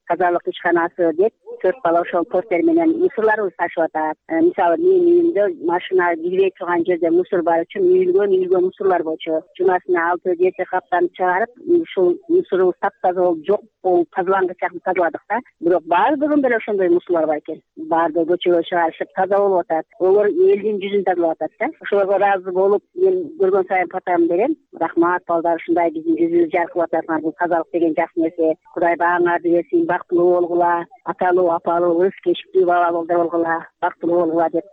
тазалык ишканасы деп 4 бала ошол портер менен мусорларыбызды ташып атат. Мисалы менин үйүмдө машина кирбей турган жерде мусор бар үчүн үйүлгөн мусорлар болчу. Жумасына 6-7 каптан чыгарып, ушул мусорубуз таптаза болуп жок болуп тазалангыч жакын тазаладык да. Бирок баардыгында деле ошондой мусорлар бар экен. Баардыгы көчөгө чыгарышып таза болуп атат. Олар элдин жүзүн тазалап атат да. Ошолорго ыраазы болуп, мен көргөн сайын фотом берем. Рахмат балдар, ушундай биздин жүзүбүз жаркырап атат. Бул тазалык деген жакшы нерсе. Кудай бааңарды берсин, бактылуу болгула, аталуу апалуу ырыс кечиктүү бала болгула, бактылуу болгула деп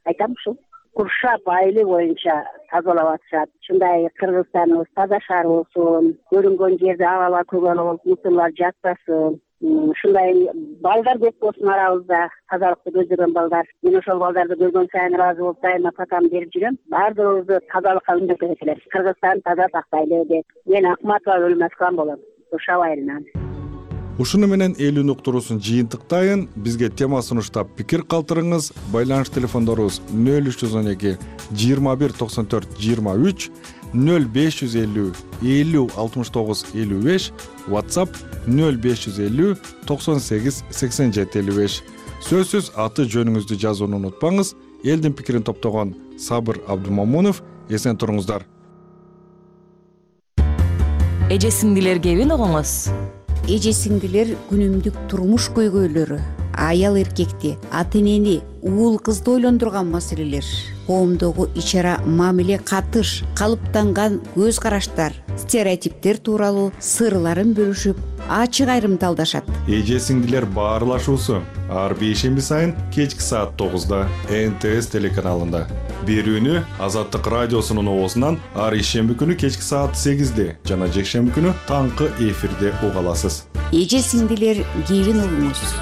айтам ушул. Куршап айылы боюнча тазалап атышат. Ушундай Кыргызстаныбыз таза шаар болсун, көрүнгөн жерде абалар көгөн болуп, мусорлар жатпасын. Ушундай балдар көп болсун арабызда, тазалыкты көздөгөн балдар. Мен ошол балдарды көргөн сайын ыраазы болуп, дайыма фотом берип жүрөм. Баардыгыбызды тазалыкка үндөп кетелер. Кыргызстан таза сактайлы деп. Мен Акматова Өлмаскан болом, Куршап айылынан. Ушуну менен эл үн уктуруусун жыйынтыктайын. Бизге тема сунуштап пикир калтырыңыз. Байланыш телефондорубуз 0312 21 94 23, 0550 50 69 55, WhatsApp 0550 98 87 55. Сөзсүз аты жөнүңүздү жазууну унутпаңыз. Элдин пикирин топтогон Сабыр Абдумамунов. Эсен туруңуздар. Эже сиңдилер кебин угуңуз. Эже сиңдилер күнүмдүк турмуш көйгөйлөрү, аял эркекти, ата энени, уул кызды ойлондурган маселелер, коомдогу ичара мамиле катыш, калыптанган көз караштар, стереотиптер тууралуу сырларын бөлүшүп, ачык айрымталдашат. Эже сиңдилер баарлашуусу ар бейшемби сайын кечки саат 9-да НТС телеканалында. Берүүнү Азаттык радиосунун оозунан ар ишемби күнү кечки саат 8-де жана жекшемби күнү таңкы эфирде уга аласыз. Эже сиңдилер кебин угуңуз.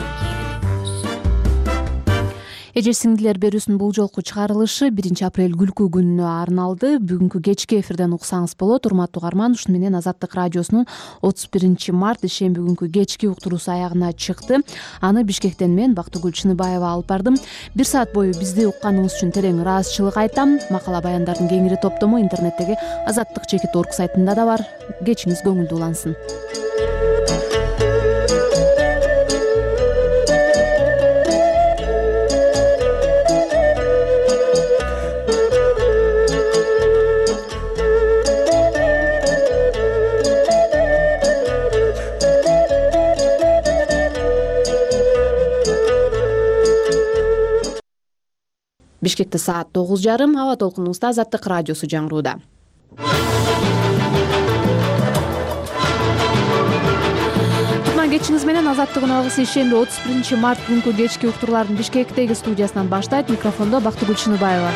Эже сиңдилер берүүсүнүн бул жолку чыгарылышы 1 апрель күлкү күнүнө арналды. Бүгүнкү кечки эфирден уксаңыз болот. Урматтуу угарман, ушуну менен Азаттык радиосунун 31 март ишемби күнкү кечки уктуруусу аягына чыкты. Аны Бишкектен мен Бактыгүл Чыныбаева алып бардым. 1 саат бою бизди укканыңыз үчүн терең ыраазычылык айтам. Макала баяндардын кеңири топтому интернеттеги azattik.org сайтында да бар. Кечиңиз көңүлдүү улансын. Бишкекте саат 9:30. Аба толкунубузда Азаттык радиосу жаңырууда. Кутман кечиңиз менен Азаттыгын алгысы ишемби 31 март күнкү кечки уктурлардын Бишкектеги студиясынан баштайт. Микрофондо Бактыгүл Чыныбаева.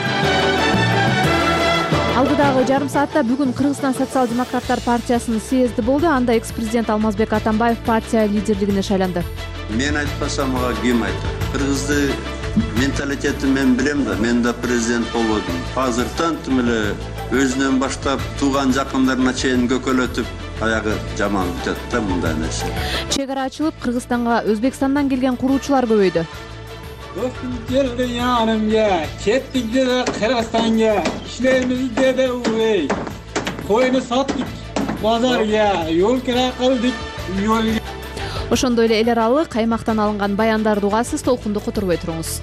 Алгыдагы жарым саатта бүгүн Кыргызстан социал-демократтар партиясынын съезди болду. Анда экс-президент Алмазбек Атамбаев партия лидерлигине шайланды. Мен айтпасам ага ким айтат? Кыргызды менталитетин мен билем да, мен да президент болбодум. Азыртан тим эле өзүнөн баштап тууган жакындарына чейин көкөлөтүп, аягы жаман бүтөт да мындай нерсе. Чек ара ачылып, Кыргызстанга Өзбекстандан келген куруучулар көбөйдү. Dostum geldi yanımga, kettik de Kırgızistan'a, işlerimizi de uğray. Koyunu sattık bazarga, yol kira kıldık, yol. Ошондой эле эл аралык аймактан алынган баяндарды угасыз, толкунду которбой туруңуз.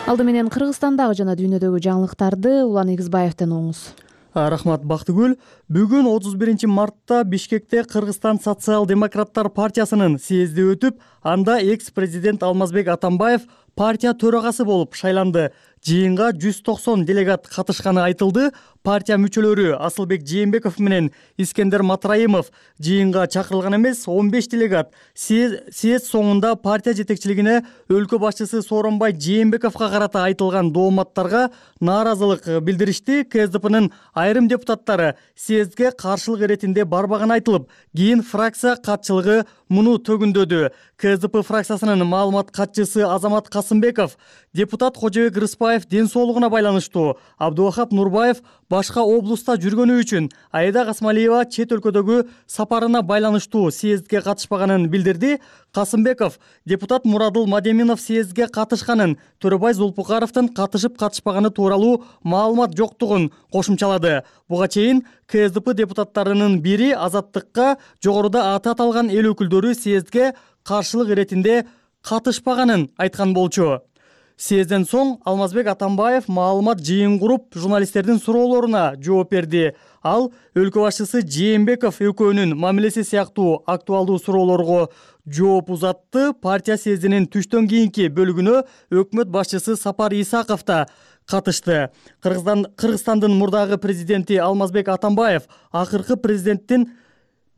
Алды менен Кыргызстандагы жана дүйнөдөгү жаңылыктарды Улан Эгизбаевден угуңуз. Рахмат Бактыгүл. Бүгүн 31 мартта Бишкекте Кыргызстан социал-демократтар партиясынын съезди өтүп, анда экс-президент Алмазбек Атамбаев партия төрагасы болуп шайланды. Жыйынга 190 делегат катышканы айтылды. Партия мүчөлөрү Асылбек Жээнбеков менен Искендер Матраимов жыйынга чакырылган эмес. 15 делегат съезд соңунда партия жетекчилигине өлкө башчысы Сооронбай Жээнбековго карата айтылган дооматтарга нааразылык билдиришти. КСДПнын айрым депутаттары съездге каршылык иретинде барбаганы айтылып, кийин фракция катчылыгы муну төгүндөдү. КСДП фракциясынын маалымат катчысы Азамат Касымбеков депутат Кожобек Рыспаев ден соолугуна байланыштуу, Абдубахап Нурбаев башка облуста жүргөнү үчүн, Айда Касмалиева чет өлкөдөгү сапарына байланыштуу съездге катышпаганын билдирди. Касымбеков депутат Мурадыл Мадеминов съездге катышканын, Төрөбай Зулпукаровдун катышып-катышпаганы тууралуу маалымат жоктугун кошумчалады. Буга чейин КСДП депутаттарынын бири Азаттыкка жогоруда аты аталган эл өкүлдөрү съездге каршылык иретинде катышпаганын айткан болчу. Съезден соң Алмазбек Атамбаев маалымат жыйын куруп, журналисттердин суроолоруна жооп берди. Ал өлкө башчысы Жээнбеков экөөнүн мамилеси сыяктуу актуалдуу суроолорго жооп узатты. Партия съездинин түштөн кийинки бөлүгүнө өкмөт башчысы Сапар Исаков да катышты. Кыргызстандын мурдагы президенти Алмазбек Атамбаев акыркы президенттин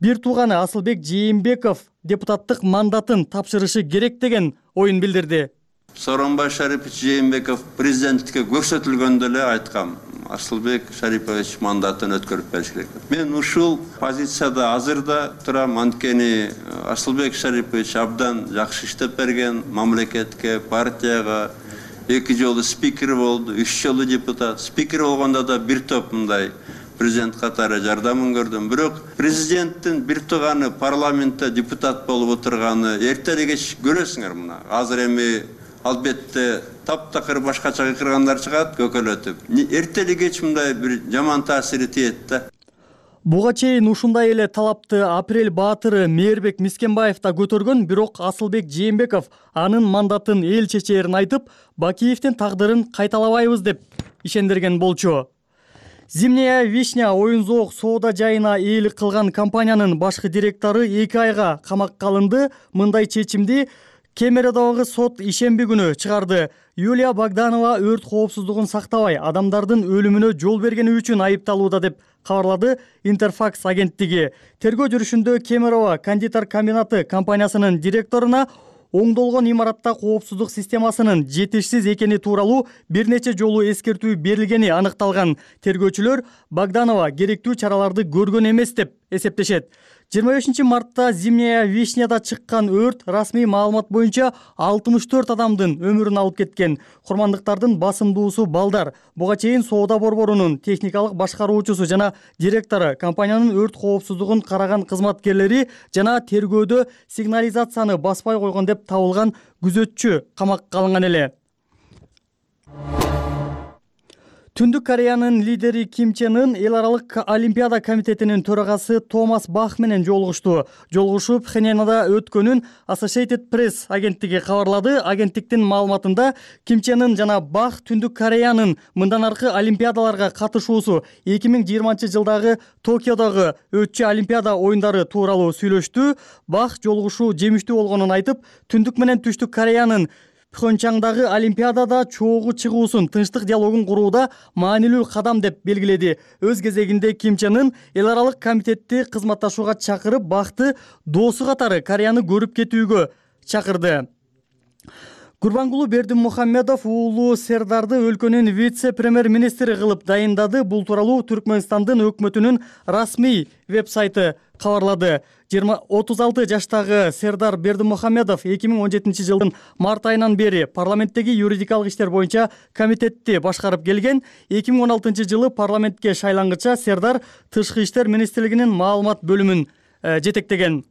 бир тууганы Асылбек Жээнбеков депутаттык мандатын тапшырышы керек деген оюн билдирди. Сооронбай Шарипович Жээнбеков президенттикке көрсөтүлгөндө эле айткам, Асылбек Шарипович мандатын өткөрүп бериш керек. Мен ушул позицияда азырда турам, анткени Асылбек Шарипович абдан жакшы иштеп берген, мамлекетке, партияга 2 жолу спикер болду, 3 жолу депутат. Спикер болгондо да бир топ мындай президент катары жардамын көрдүм. Бирок президенттин бир тууганы парламентте депутат болуп отурганы эрте эле кеч көрөсүңөр мына. Азыр эми албетте таптакыр башкача кыргандар чыгат көкөлөтүп. Эрте эле кеч мындай бир жаман таасири тиет да. Буга чейин ушундай эле талапты Апрель баатыры Мээрбек Мискенбаев да көтөргөн, бирок Асылбек Жээнбеков анын мандатын эл чечээрин айтып, Бакиевдин тагдырын кайталабайбыз деп ишендирген болчу. Зимняя вишня оюн-зоок соода жайына ээлик кылган компаниянын башкы директору 2 айга камакка алынды. Мындай чечимди Кемеровдогу сот ишемби күнү чыгарды. Юлия Богданова өрт коопсуздугун сактабай, адамдардын өлүмүнө жол бергени үчүн айыпталууда деп кабарлады Интерфакс агенттиги. Тергөө жүрүшүндө Кемерово кондитер комбинаты компаниясынын директоруна оңдолгон имаратта коопсуздук системасынын жетишсиз экени тууралуу бир нече жолу эскертүү берилгени аныкталган. Тергөөчүлөр Богданова керектүү чараларды көргөн эмес деп эсептешет. 25 мартта Зимняя вишняда чыккан өрт расмий маалымат боюнча 64 адамдын өмүрүн алып кеткен. Курмандыктардын басымдуусу балдар. Буга чейин соода борборунун техникалык башкаруучусу жана директору, компаниянын өрт коопсуздугун караган кызматкерлери жана тергөөдө сигнализацияны баспай койгон деп табылган күзөтчү камакка алынган эле. Түндүк Кореянын лидери Ким Чен Ын эл аралык олимпиада комитетинин төрагасы Томас Бах менен жолугушту. Жолугушуу Пхеньянда өткөнүн Associated Press агенттиги кабарлады. Агенттиктин маалыматында Ким Чен Ын жана Бах Түндүк Кореянын мындан аркы олимпиадаларга катышуусу 2020-жылдагы Токиодогу өтчү олимпиада оюндары тууралуу сүйлөштү. Бах жолугушуу жемиштүү болгонун айтып, Түндүк менен Түштүк Кореянын Пхенчхандагы Олимпиадада чогуу чыгуусун, тынчтык диалогун курууда маанилүү кадам деп белгиледи. Өз кезегинде Ким Чен Ын эл аралык комитетти кызматташууга чакырып, бакты доосу катары Кореяны көрүп кетүүгө чакырды. Гурбангулу Бердимухамедов уулу Сердарды өлкөнүн вице-премьер-министри кылып дайындады. Бул тууралуу Түркмөнстандын өкмөтүнүн расмий веб-сайты кабарлады. 36 жаштагы Сердар Бердимухамедов 2017 жылдын март айынан бери парламенттеги юридикалык иштер боюнча комитетти башкарып келген. 2016 жылы парламентке шайлангыча Сердар Тышкы иштер министрлигинин маалымат бөлүмүн жетектеген.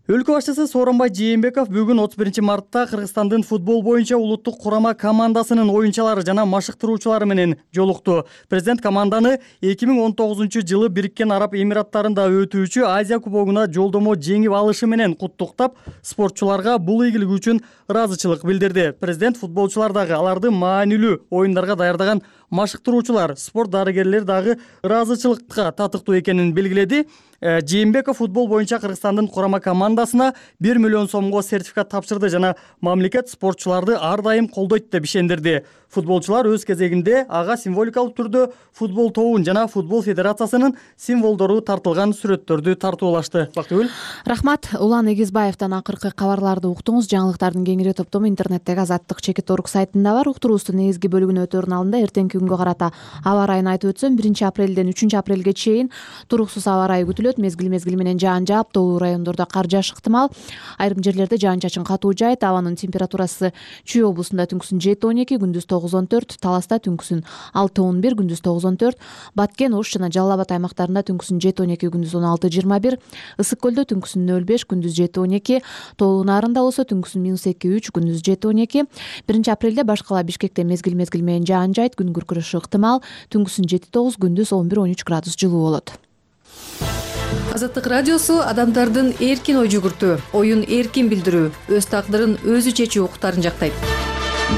Өлкө башчысы Сооронбай Жээнбеков бүгүн 31 мартта Кыргызстандын футбол боюнча улуттук курама командасынын оюнчулары жана машыктыруучулары менен жолукту. Президент команданы 2019 жылы Бириккен Араб Эмираттарында өтүүчү Азия кубогуна жолдомо жеңип алышы менен куттуктап, спортчуларга бул ийгилиги үчүн ыраазычылык билдирди. Президент футболчулар дагы, аларды маанилүү оюндарга даярдаган машыктыруучулар, спорт дарыгерлер дагы ыраазычылыкка татыктуу экенин белгиледи. Жээнбеков футбол боюнча Кыргызстандын курама командасына 1 миллион сомго сертификат тапшырды жана мамлекет спортчуларды ар дайым колдойт деп ишендирди. Футболчулар өз кезегинде ага символикалык түрдө футбол тобун жана футбол федерациясынын символдору тартылган сүрөттөрдү тартуулашты. Бактыгүл. Рахмат. Улан Эгизбаевден акыркы кабарларды уктуңуз. Жаңылыктардын кеңири топтому интернеттеги Азаттык.org сайтында бар. Уктуруубуздун негизги бөлүгүнө өтөөрүн алдында эртеңки күнгө карата аба ырайын айтып өтсөм, 1 апрелден 3 апрелге чейин туруксуз аба ырайы күтүлөт. Мезгил менен жаан жаап, тоолуу райондордо кар жааш ыктымал. Айрым жерлерде жаан-чачын катуу жаайт. Абанын температурасы Чүй облусунда түнкүсүн 7-12, күндүз 9-14, Таласта түнкүсүн 6-11, күндүз 9-14, Баткен, Ош жана Жалал Абад аймактарында түнкүсүн 7-12, күндүз 16-21, Ысык көлдө түнкүсүн 0-5, күндүз 7-12, Тоолуу Нарында болсо түнкүсүн -2-3, күндүз 7-12. 1 апрелде башкала Бишкекте мезгил менен жаан жаайт, күн күркүрөшү ыктымал, түнкүсүн 7-9, күндүз 11-13 градус жылуу болот. Азаттык радиосу адамдардын эркин ой жүгүртүү, оюн эркин билдирүү, өз тагдырын өзү чечүү укуктарын жактайт.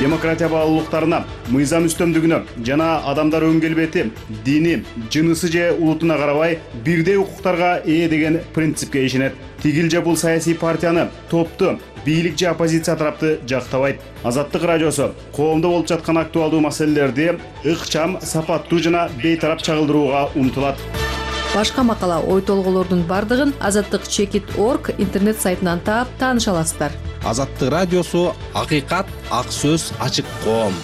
Демократия баалуулуктарына, мыйзам үстөмдүгүнө жана адамдар өн келбети, дини, жынысы же улутуна карабай бирдей укуктарга ээ деген принципке ишенет. Тигил же бул саясий партияны, топту, бийлик же оппозиция тарапты жактабайт. Азаттык радиосу коомдо болуп жаткан актуалдуу маселелерди ыкчам, сапаттуу жана бейтарап чагылдырууга умтулат. Башка макала, ой толголордун бардыгын Азаттык.org интернет сайтынан таап тааныша аласыздар. Азаттык радиосу акыйкат, ак сөз, ачык коом.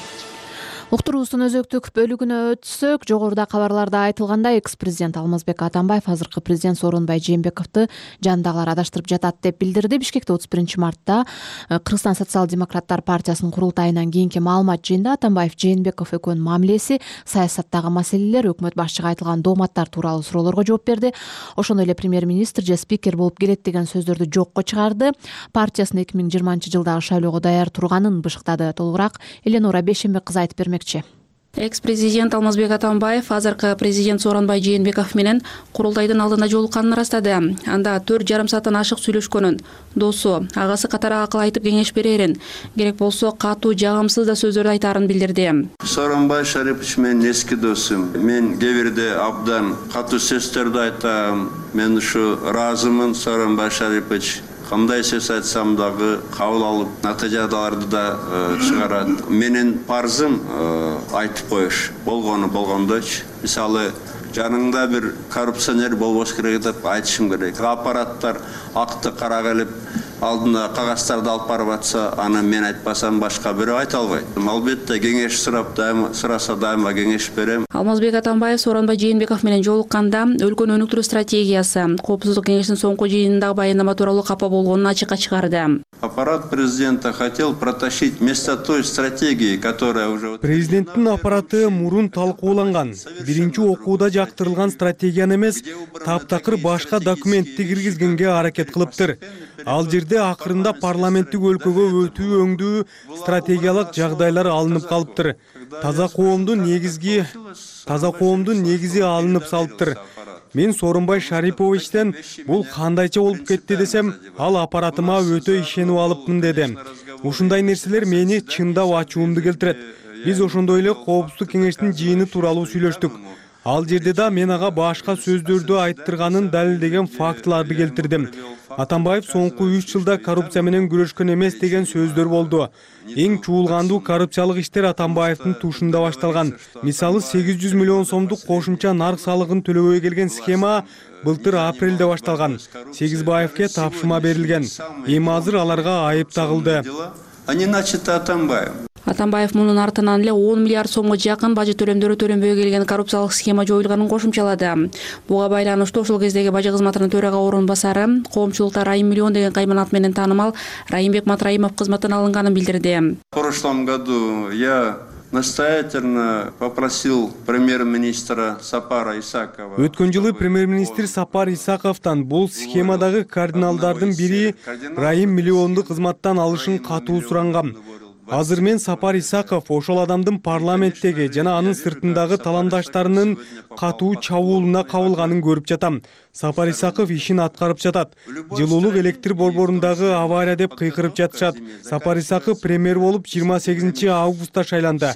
Уктуруубуздун өзөктүк бөлүгүнө өтсөк, жогоруда кабарларда айтылгандай, экс-президент Алмазбек Атамбаев азыркы президент Сооронбай Жээнбековду жандагылар адаштырып жатат деп билдирди. Бишкекте 31 мартта Кыргызстан социал-демократтар партиясынын курултайынан кийинки маалымат жыйында Атамбаев Жээнбеков экөөнүн мамилеси, саясаттагы маселелер, өкмөт башчыга айтылган дооматтар тууралуу суроолорго жооп берди. Ошондой эле премьер-министр же спикер болуп келет деген сөздөрдү жокко чыгарды. Партиясынын 2020 жылдагы шайлоого даяр турганын бышыктады. Толугураак Эленора Бейшембек кызы айтып бермекчи. Экс-президент Алмазбек Атамбаев азыркы президент Сооронбай Жээнбеков менен курултайдын алдында жолукканын ырастады. Анда 4,5 сааттан ашык сүйлөшкөнүн, досу, агасы катары акыл айтып кеңеш берерин, керек болсо катуу жагымсыз да сөздөрдү айтаарын билдирди. Сооронбай Шарипович менин эски досум. Мен кээ бирде абдан катуу сөздөрдү айтам. Мен ушу ыраазымын, Сооронбай Шарипович. Кандай сөз айтсам дагы кабыл алып, натыйжаларды да чыгарат. Менин парзым айтып коюш. Болгону болгондойчу. Мисалы, жаныңда бир коррупционер болбош керек деп айтышым керек. Аппараттар акты кара келип, алдына кагаздарды алып барып атса, аны мен айтпасам башка бирөө айта албайт. Албетте кеңеш сураса дайыма кеңеш берем. Алмазбек Атамбаев Сооронбай Жээнбеков менен жолукканда өлкөнү өнүктүрүү стратегиясы, Коопсуздук кеңешинин соңку жыйынындагы баяндама тууралуу капа болгонун ачыкка чыгарды. Аппарат президента хотел протащить вместо той стратегии, которая уже... Президенттин аппараты мурун талкууланган, биринчи окууда жактырылган стратегияны эмес, таптакыр башка документти киргизгенге аракет кылыптыр. Ал жерде акырында парламенттик өлкөгө өтүү өңдүү стратегиялык жагдайлар алынып калыптыр. Таза коомдун негизи алынып салыптыр. Мен Сооронбай Шариповичтен бул кандайча болуп кетти десем, ал аппаратыма өтө ишенип алыпмын дедим. Ушундай нерселер мени чындап ачуумду келтирет. Биз ошондой эле Коопсуздук кеңештин жыйыны тууралуу сүйлөштүк. Ал жерде да мен ага башка сөздөрдү айттырганын далилдеген фактыларды келтирдим. Атамбаев соңку 3 жылда коррупция менен күрөшкөн эмес деген сөздөр болду. Эң чуулгандуу коррупциялык иштер Атамбаевдин тушунда башталган. Мисалы 800 миллион сомдук кошумча нарк салыгын төлөбөй келген схема былтыр апрелде башталган. Сегизбаевке тапшырма берилген. Эми азыр аларга айып тагылды. Они начаты Атамбаев. Атамбаев мунун артынан эле 10 миллиард сомго жакын бажы төлөмдөрү төленбөй келген коррупциялык схема жоюлганын кошумчалады. Буга байланыштуу ошол кездеги бажы кызматынын төрага орун басары, коомчулукта Райым Миллион деген кайман менен таанымал Райымбек Матраимов кызматтан алынганын билдирди. В прошлом году я настоятельно попросил премьер-министра Сапара Исакова. Өткөн жылы премьер-министр Сапар Исаковтан бул схемадагы кардиналдардын бири Райым Миллионду кызматтан алышын катуу сурангам. Азыр мен Сапар Исаков ошол адамдын парламенттеги жана анын сыртындагы таландаштарынын катуу чабуулуна кабылганын көрүп жатам. Сапар Исаков ишин аткарып жатат. Жылуулук электр борборундагы авария деп кыйкырып жатышат. Сапар Исаков премьер болуп 28 августта шайланды.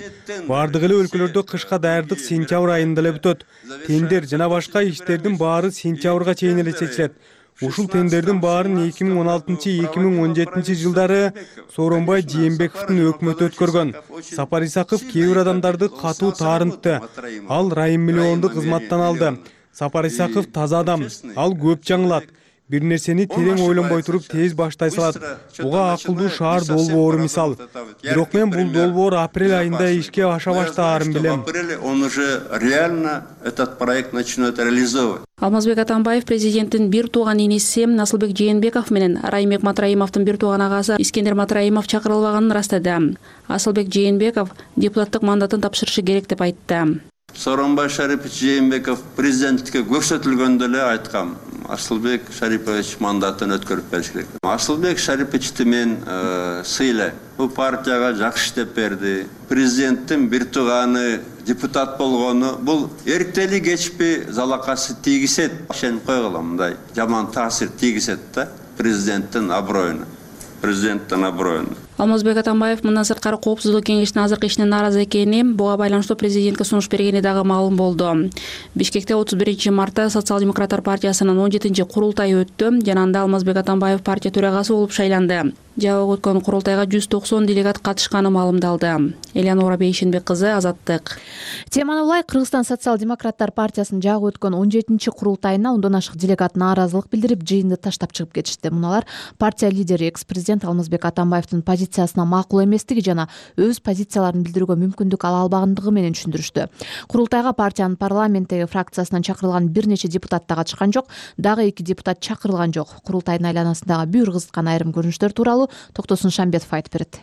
Бардык эле өлкөлөрдө кышка даярдык сентябрь айында эле бүтөт. Тендер жана башка иштердин баары сентябрга чейин эле чечилет. Ушул тендердин баарын 2016-2017 жылдары Сооронбай Жээнбековдун өкмөтү өткөргөн. Сапар Исаков кээ бир адамдарды катуу таарынтты. Ал Райым Миллионду кызматтан алды. Сапар Исаков таза адам. Ал көп жаңылат. Бир нерсени терең ойлонбой туруп тез баштай салат. Буга акылдуу шаар долбоору мисал. Бирок мен бул долбоор апрель айында ишке аша баштаарын билем. В апреле он уже реально этот проект начнет реализовывать. Алмазбек Атамбаев президенттин бир тууган иниси Насылбек Жээнбеков менен Райымбек Матраимовдун бир тууган агасы Искендер Матраимов чакырылбаганын ырастады. Асылбек Жээнбеков депутаттык мандатын тапшырышы керек деп айтты. Сооронбай Шарипович Жээнбеков президенттикке көрсөтүлгөндө эле айткам. Асылбек Шарипович мандатын өткөрүп бериш керек. Асылбек Шариповичти мен сыйлайм. Бул партияга жакшы иштеп берди. Президенттин бир тууганы депутат болгону бул эртели кечпи залакасы тийгизет. Ишенип койгула, мындай жаман таасир тийгизет да президенттин аброюна. Алмазбек Атамбаев мындан сырткары коопсуздук кеңешинин азыркы ишине нааразы экени, буга байланыштуу президентке сунуш бергени дагы маалым болду. Бишкекте 31 мартта Социал-демократтар партиясынын 17-чи курултайы өттү жана анда Алмазбек Атамбаев партия төрагасы болуп шайланды. Жабык өткөн курултайга 190 делегат катышканы маалымдалды. Элеонора Бейшенбек кызы, Азаттык. Теманы улай Кыргызстан Социал-демократтар партиясынын жагы өткөн 17-чи курултайына 10дон ашык делегат нааразылык билдирип, жыйынды таштап чыгып кетишти. Муналар партия лидери экс-президент Алмазбек Атамбаевдин позициясына макул эместиги жана өз позицияларын билдирүүгө мүмкүндүк ала албагандыгы менен түшүндүрүштү. Курултайга партиянын парламенттеги фракциясынан чакырылган бир нече депутат да катышкан жок, дагы 2 депутат чакырылган жок. Курултайдын айланасындагы бүйүр кызыткан айрым көрүнүштөр тууралуу Токтосун Шамбетов айтып берет.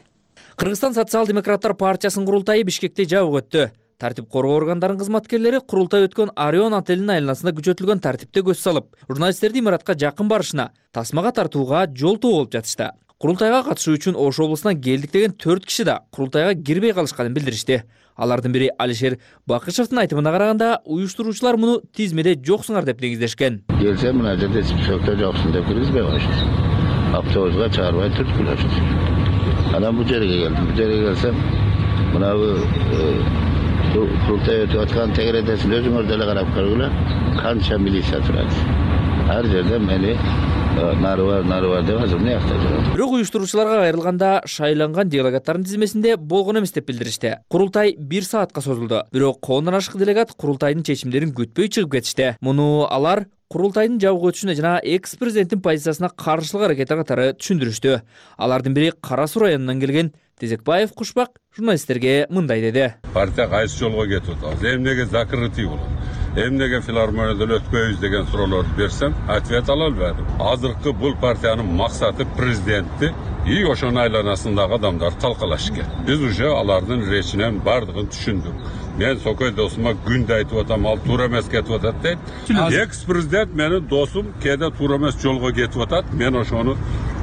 Кыргызстан Социал-демократтар партиясынын курултайы Бишкекте жабык өттү. Тартип коргоо органдарынын кызматкерлери курултай өткөн Орион отелинин айланасында күчөтүлгөн тартипте көз салып, журналисттерди имаратка жакын барышына, тасмага тартууга жолтоо болуп жатышты. Курултайга катышуу үчүн Ош облусунан келдик деген 4 киши да курултайга кирбей калышканын билдиришти. Алардын бири Алишер Бакышевдин айтымына караганда, уюштуруучулар муну тизмеде жоксуңар деп негиздешкен. Келсе мына жерде списокто жоксуң деп киргизбей коюшту. Автобуска чыгарбай түрткүлөштү. Анан бул жерге келдим. Бул жерге келсем, мына курултай өтүп аткан тегередесин өзүңөр деле карап көргүлө. Канча милиция турат. Ар жерде мени нары бар деп азыр мыякта жүрөт. Бирок уюштуруучуларга кайрылганда шайланган делегаттардын тизмесинде болгон эмес деп билдиришти. Курултай 1 саатка созулду. Бирок 10дон ашык делегат курултайдын чечимдерин күтпөй чыгып кетишти. Муну алар курултайдын жабык өтүшүнө жана экс-президенттин позициясына каршылык аракети катары түшүндүрүштү. Алардын бири Кара Суу районунан келген Тезекбаев Кушбак журналисттерге мындай деди. Партия кайсы жолго кетип атат? Эмнеге закрытый болот? Эмнеге филармонияда өткөйбүз деген суроолорду берсем, ответ ала албадым. Азыркы бул партиянын максаты президентти и ошонун айланасындагы адамдарды талкалаш экен. Биз уже алардын речинен бардыгын түшүндүк. Мен Сокой досума күндө айтып атам, ал туура эмес кетип атат дейт. Экс-президент менин досум кээде туура эмес жолго кетип атат. Мен ошону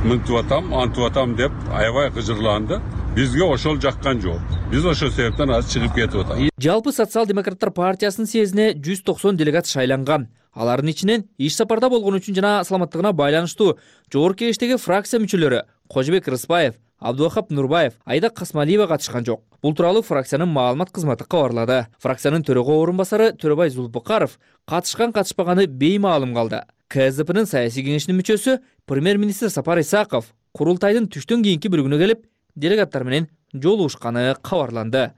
мынтип атам, антип атам деп аябай кыжырланды. Бизге ошол жаккан жок. Биз ошол себептен азыр чыгып кетип атабыз. Жалпы Социал-демократтар партиясынын съездине 190 делегат шайланган. Алардын ичинен иш сапарда болгон үчүн жана саламаттыгына байланыштуу жогорку кеңештеги фракция мүчөлөрү Кожобек Рыспаев, Абдувахап Нурбаев, Айда Касмалиева катышкан жок. Бул тууралуу фракциянын маалымат кызматы кабарлады. Фракциянын төрөгө орун басары Төрөбай Зулпукаров катышкан-катышпаганы беймаалым калды. КСДПнын саясий кеңешинин мүчөсү премьер-министр Сапар Исаков курултайдын түштөн кийинки бөлүгүнө келип, делегаттар менен жолугушканы кабарланды.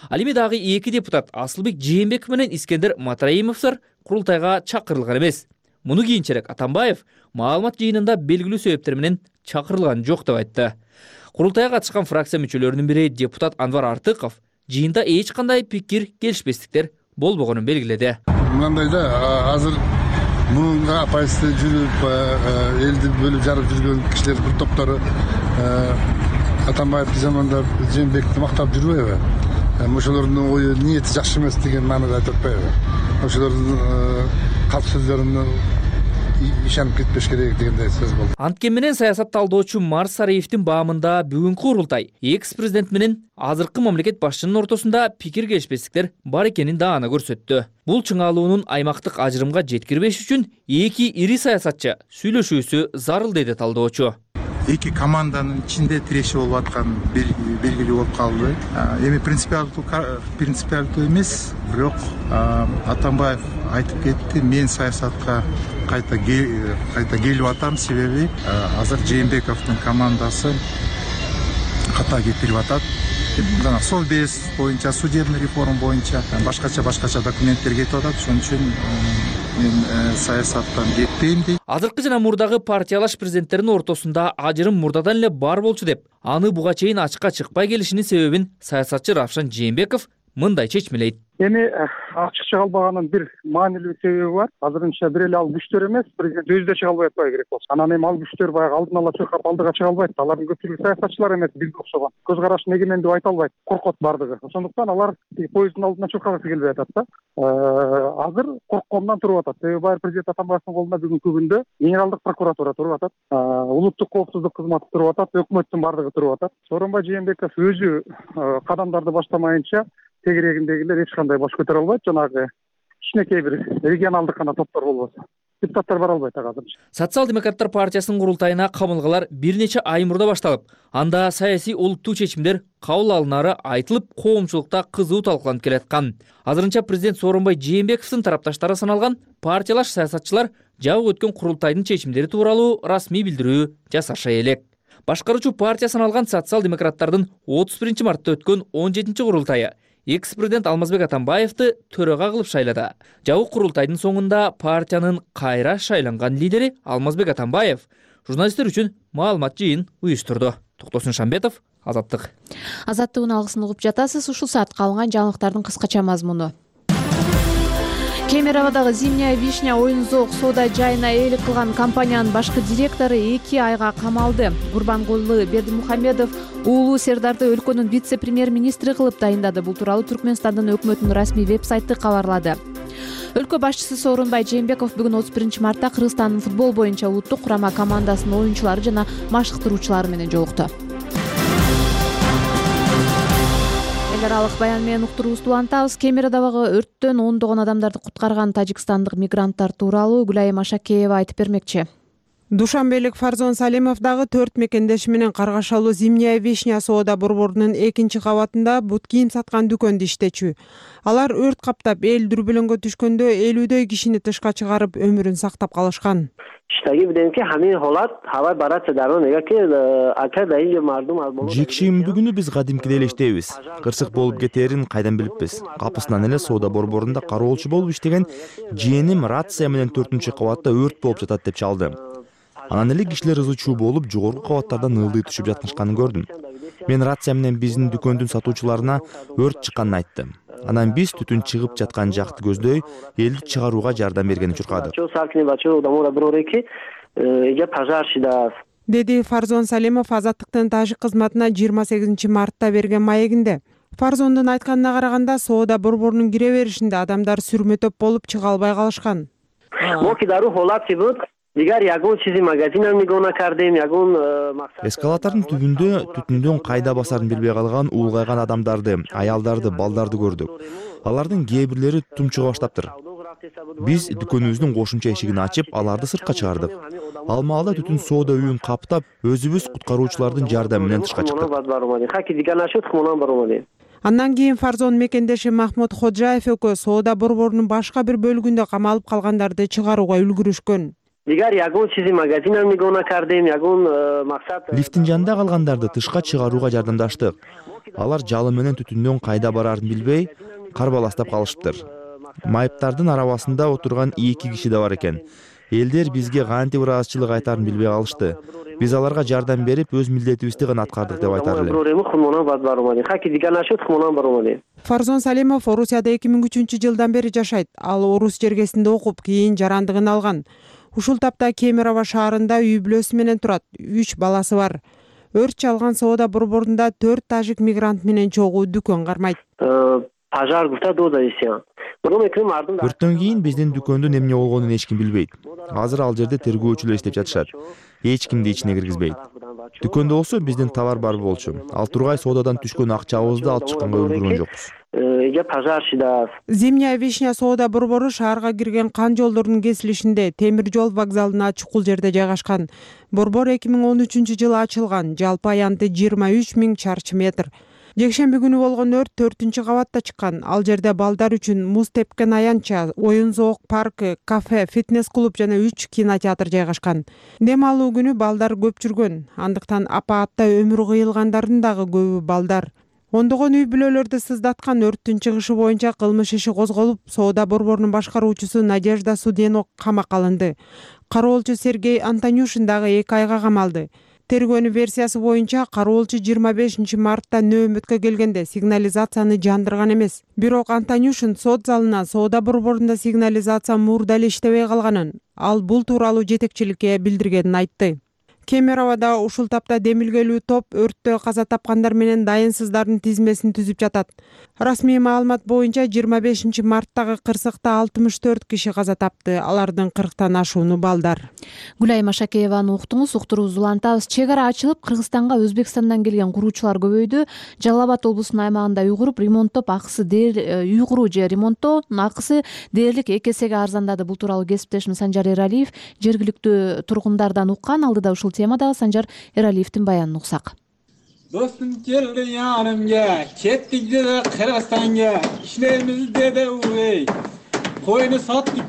Ал эми дагы 2 депутат Асылбек Жээнбеков менен Искендер Матраимовдор курултайга чакырылган эмес. Муну кийинчерээк Атамбаев маалымат жыйынында белгилүү себептер менен чакырылган жок деп айтты. Курултайга катышкан фракция мүчөлөрүнүн бири депутат Анвар Артыков жыйында эч кандай пикир келишпестиктер болбогонун белгиледи. Мындай да азыр мунга оппозиция жүрүп, элди бөлүп жарып жүргөн кишилер бир топтору Атамбаевди жамандап, Жээнбекти мактап жүрбөйбү? Ошолордун ою ниети жакшы эмес деген маанада айтып атпайбы? Ошолордун калп сөздөрүнө ишенип кетпеш керек дегендей сөз болду. Анткени менен саясат талдоочу Марс Сариевдин баамында бүгүнкү курултай экс-президент менен азыркы мамлекет башчынын ортосунда пикир келишпестиктер бар экенин даана көрсөттү. Бул чыңалуунун аймактык ажырымга жеткирбеш үчүн эки ири саясатчы сүйлөшүүсү зарыл деди талдоочу. Эки команданын ичинде тиреши болуп аткан белгилүү болуп калды. Эми принципиалдуу эмес, бирок Атамбаев айтып кетти, мен саясатка кайта келип атам, себеби азыр Жээнбековдун командасы ката кетирип атат. Жана Совбез боюнча, судебный реформа боюнча башкача документтер кетип атат. Ошон үчүн мен саясаттан кетпейм дейт. Азыркы жана мурдагы партиялаш президенттердин ортосунда ажырым мурдадан эле бар болчу деп, аны буга чейин ачыкка чыкпай келишинин себебин саясатчы Равшан Жээнбеков мындай чечмелейт. Эми ачык чыга албаганын бир маанилүү себеби бар. Азырынча бир эле ал күчтөр эмес, президент өзү да чыга албай атпайбы керек болсо. Анан эми ал күчтөр баягы алдын ала чуркап алдыга чыга албайт. Алардын көпчүлүгү саясатчылар эмес, бизге окшогон. Көз карашын эгемен деп айта албайт. Коркот бардыгы. Ошондуктан алар поезддин алдына чуркагысы келбей атат да. Азыр коркконунан туруп атат. Себеби байыр президент Атамбаевдин колунда бүгүнкү күндө генералдык прокуратура туруп атат. Улуттук коопсуздук кызматы туруп атат, өкмөттүн бардыгы туруп атат. Сооронбай Жээнбеков өзү кадамдарды баштамайынча тегерегиндегилер эч кандай баш көтөрө албайт. Жанагы кичинекей бир регионалдык гана топтор болбосо депутаттар бара албайт азырчы. Социал-демократтар партиясынын курултайына камылгалар бир нече ай мурда башталып, анда саясий олуттуу чечимдер кабыл алынары айтылып, коомчулукта кызуу талкууланып келаткан. Азырынча президент Сооронбай Жээнбековдун тарапташтары саналган партиялаш саясатчылар жабык өткөн курултайдын чечимдери тууралуу расмий билдирүү жасашай элек. Башкаруучу партия саналган социал-демократтардын 31 мартта өткөн 17 курултайы экс-президент Алмазбек Атамбаевди төрага кылып шайлады. Жабык курултайдын соңунда партиянын кайра шайланган лидери Алмазбек Атамбаев журналисттер үчүн маалымат жыйын уюштурду. Токтосун Шамбетов, Азаттык. Азаттыктын алгысын угуп жатасыз. Ушул саатка алынган жаңылыктардын кыскача мазмуну. Кемеровдагы Зимняя вишня оюн-зоок соода жайына ээлик кылган компаниянын башкы директору 2 айга камалды. Гурбангулы Бердимухамедов уулу Сердарды өлкөнүн вице-премьер-министри кылып тайындады. Бул тууралуу Түркмөнстандын өкмөтүнүн расмий веб-сайты кабарлады. Өлкө башчысы Сооронбай Жээнбеков бүгүн 31 мартта Кыргызстандын футбол боюнча улуттук курама командасынын оюнчулары жана машыктыруучулары менен жолукту. Эл аралык баян менен уктуруубузду улантабыз. Кемеровдагы өрттөн ондогон адамдарды куткарган тажикстандык мигранттар тууралуу Гүлайым Ашакеева айтып бермекчи. Душанбелик Фарзон Салимов дагы 4 мекендеши менен каргашалуу Зимняя вишня соода борборунун 2 кабатында бут кийим саткан дүкөндө иштечү. Алар өрт каптап эл дүрбөлөңгө түшкөндө 50дөй кишини тышка чыгарып өмүрүн сактап калышкан. Жекшемби күнү биз кадимкидей эле иштейбиз. Кырсык болуп кетээрин кайдан билиппиз. Капысынан эле соода борборунда кароолчу болуп иштеген жээним рация менен 4-кабатта өрт болуп жатат деп чалды. Анан эле кишилер ызы чуу болуп, жогорку кабаттардан ылдый түшүп жатканын көрдүм. Мен рация менен биздин дүкөндүн сатуучуларына өрт чыкканын айттым. Анан биз түтүн чыгып жаткан жакты көздөй элди чыгарууга жардам бергени чуркадык. Деди Фарзон Салимов Азаттыктын тажик кызматына 28 мартта берген маегинде. Фарзондун айтканына караганда соода борборунун кире беришинде адамдар сүрмө-төп болуп чыга албай калышкан. Эскалатордун түбүндө түтүндөн кайда басарын билбей калган улгайган адамдарды, аялдарды, балдарды көрдүк. Алардын кээ бирлери түтүн чыга баштаптыр. Биз дүкөнүбүздүн кошумча эшигин ачып, аларды сыртка чыгардык. Ал маалда түтүн соода үйүн каптап, өзүбүз куткаруучулардын жардамы менен тышка чыктык. Андан кийин Фарзон мекендеши Махмуд Ходжаев экөө соода борборунун башка бир бөлүгүндө камалып калгандарды чыгарууга үлгүрүшкөн. Лифттин жанында калгандарды тышка чыгарууга жардамдаштык. Алар жалы менен түтүндөн кайда барарын билбей, карбаластап калышыптыр. Майыптардын арабасында отурган 2 киши да бар экен. Элдер бизге кантип ыраазычылык айтаарын билбей калышты. Биз аларга жардам берип, өз милдетибизди гана аткардык деп айтар элем. Фарзон Салимов Орусияда 2003-жылдан бери жашайт. Ал орус жергесинде окуп, кийин жарандыгын алган. Ушул тапта Кемерово шаарында үй бүлөсү менен турат. 3 баласы бар. Өрт чалган соода борборунда 4 тажик мигрант менен чогуу дүкөн кармайт. Өрттөн кийин биздин дүкөндүн эмне болгонун эч ким билбейт. Азыр ал жерде тергөөчүлөр иштеп жатышат. Эч кимди ичине киргизбейт. Дүкөндө болсо биздин товар бар болчу. Ал тургай соодадан түшкөн акчабызды алып чыкканга үлгүргөн жокпуз. Зимняя вишня соода борбору шаарга кирген кан жолдордун кесилишинде темир жол вокзалына чукул жерде жайгашкан. Борбор 2013-жылы ачылган. Жалпы аянты 23 000 чарчы метр. Жекшемби күнү болгон өрт 4-кабатта чыккан. Ал жерде балдар үчүн муз тепкен аянтча, оюн зоок паркы, кафе, фитнес-клуб жана 3 кинотеатр жайгашкан. Дем алуу күнү балдар көп жүргөн. Андыктан апаатта өмүрү кыйылгандардын дагы көбү балдар. Ондогон үй бүлөлөрдү сыздаткан өрттүн чыгышы боюнча кылмыш иши козголуп, соода борборунун башкаруучусу Надежда Судено камакка алынды. Кароолчу Сергей Антонюшин дагы 2 айга камалды. Тергөөнүн версиясы боюнча кароолчу 25-мартта нөөмөткө келгенде сигнализацияны жандырган эмес. Бирок Антонюшин сот залына соода борборунда сигнализация мурда эле иштебей калганын, ал бул тууралуу жетекчиликке билдиргенин айтты. Кемероводо ушул тапта демилгелүү топ өрттө каза тапкандар менен дайынсыздардын тизмесин түзүп жатат. Расмий маалымат боюнча 25-марттагы кырсыкта 64 киши каза тапты. Алардын 40тан ашууну балдар. Гүлайым Ашакееваны уктуңуз. Уктуруубузду улантабыз. Чек ара ачылып, Кыргызстанга Өзбекстандан келген куруучулар көбөйдү. Жалал Абад облусунун аймагында үй куруп, ремонттоп акысы үй куруу же ремонттоонун акысы дээрлик 2 эсеге арзандады. Бул тууралуу кесиптешим Санжар Эралиев жергиликтүү тургундардан уккан. Алдыда ушул темадагы Санжар Эралиевдин баянын уксак. Достум келди янымга, кеттик деди Кыргызстанга, иштейбиз деди уй. Койну саттык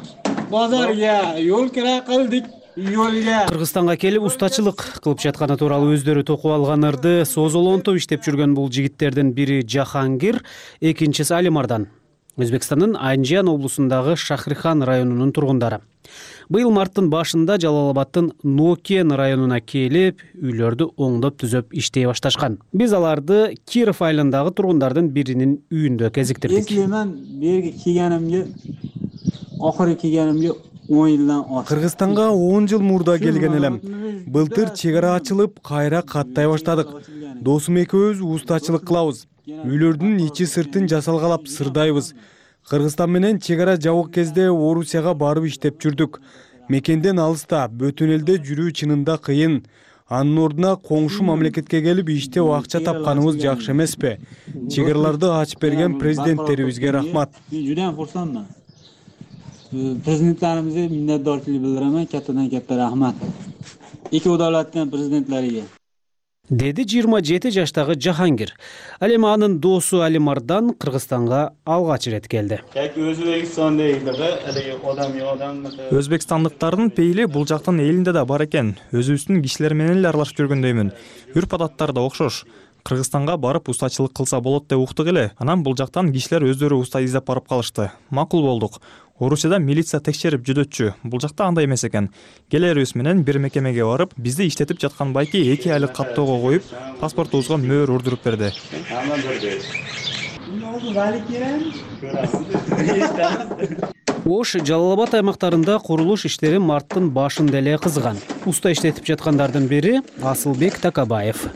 базарга, жол кира кылдык. Кыргызстанга келип устачылык кылып жатканы тууралуу өздөрү токуп алган ырды созолонтоп иштеп жүргөн бул жигиттердин бири Жахангир, экинчиси Алимардан. Өзбекстандын Анжиян облусундагы Шахрихан районунун тургундары. Быйыл марттын башында Жалал Абадтын Нокен районуна келип, үйлөрдү оңдоп түзөп иштей башташкан. Биз аларды Киров айылындагы тургундардын биринин үйүндө кезиктирдик. Мен берги келгенимге, акыры келгенимге 10 жылдан ашты. Кыргызстанга 10 жыл мурда келген элем. Былтыр чек ара ачылып, кайра каттай баштадык. Досум экөөбүз устачылык кылабыз. Үйлөрдүн ичи сыртын жасалгалап сырдайбыз. Кыргызстан менен чек ара жабык кезде Орусияга барып иштеп жүрдүк. Мекенден алыста, бөтөн элде жүрүү чынында кыйын. Анын ордуна коңшу мамлекетке келип иштеп акча тапканыбыз жакшы эмеспи? Чек араларды ачып берген президенттерибизге рахмат. Жудам курсанман. Президенттерибизге миннатдорчулук билдирем, каттадан катта рахмат. Эки давлаттын президенттерине. Деди 27 жаштагы Жахангир. Ал эми анын досу Алимардан Кыргызстанга алгач ирет келди. Өзбекстандыктардын пейили бул жактын элинде да бар экен. Өзүбүздүн кишилер менен эле аралашып жүргөндөймүн. Үрп-адаттар да окшош. Кыргызстанга барып устачылык кылса болот деп уктук эле. Анан бул жактан кишилер өздөрү уста издеп барып калышты. Макул болдук. Орусияда милиция текшерип жүдөтчү. Бул жакта андай эмес экен. Келерибиз менен бир мекемеге барып, бизди иштетип жаткан байки 2 айлык каттоого коюп, паспортубузга мөөр урдуруп берди. Ош, Жалал Абад аймактарында курулуш иштери марттын башында эле кызган. Уста иштетип жаткандардын бири Асылбек Такабаев.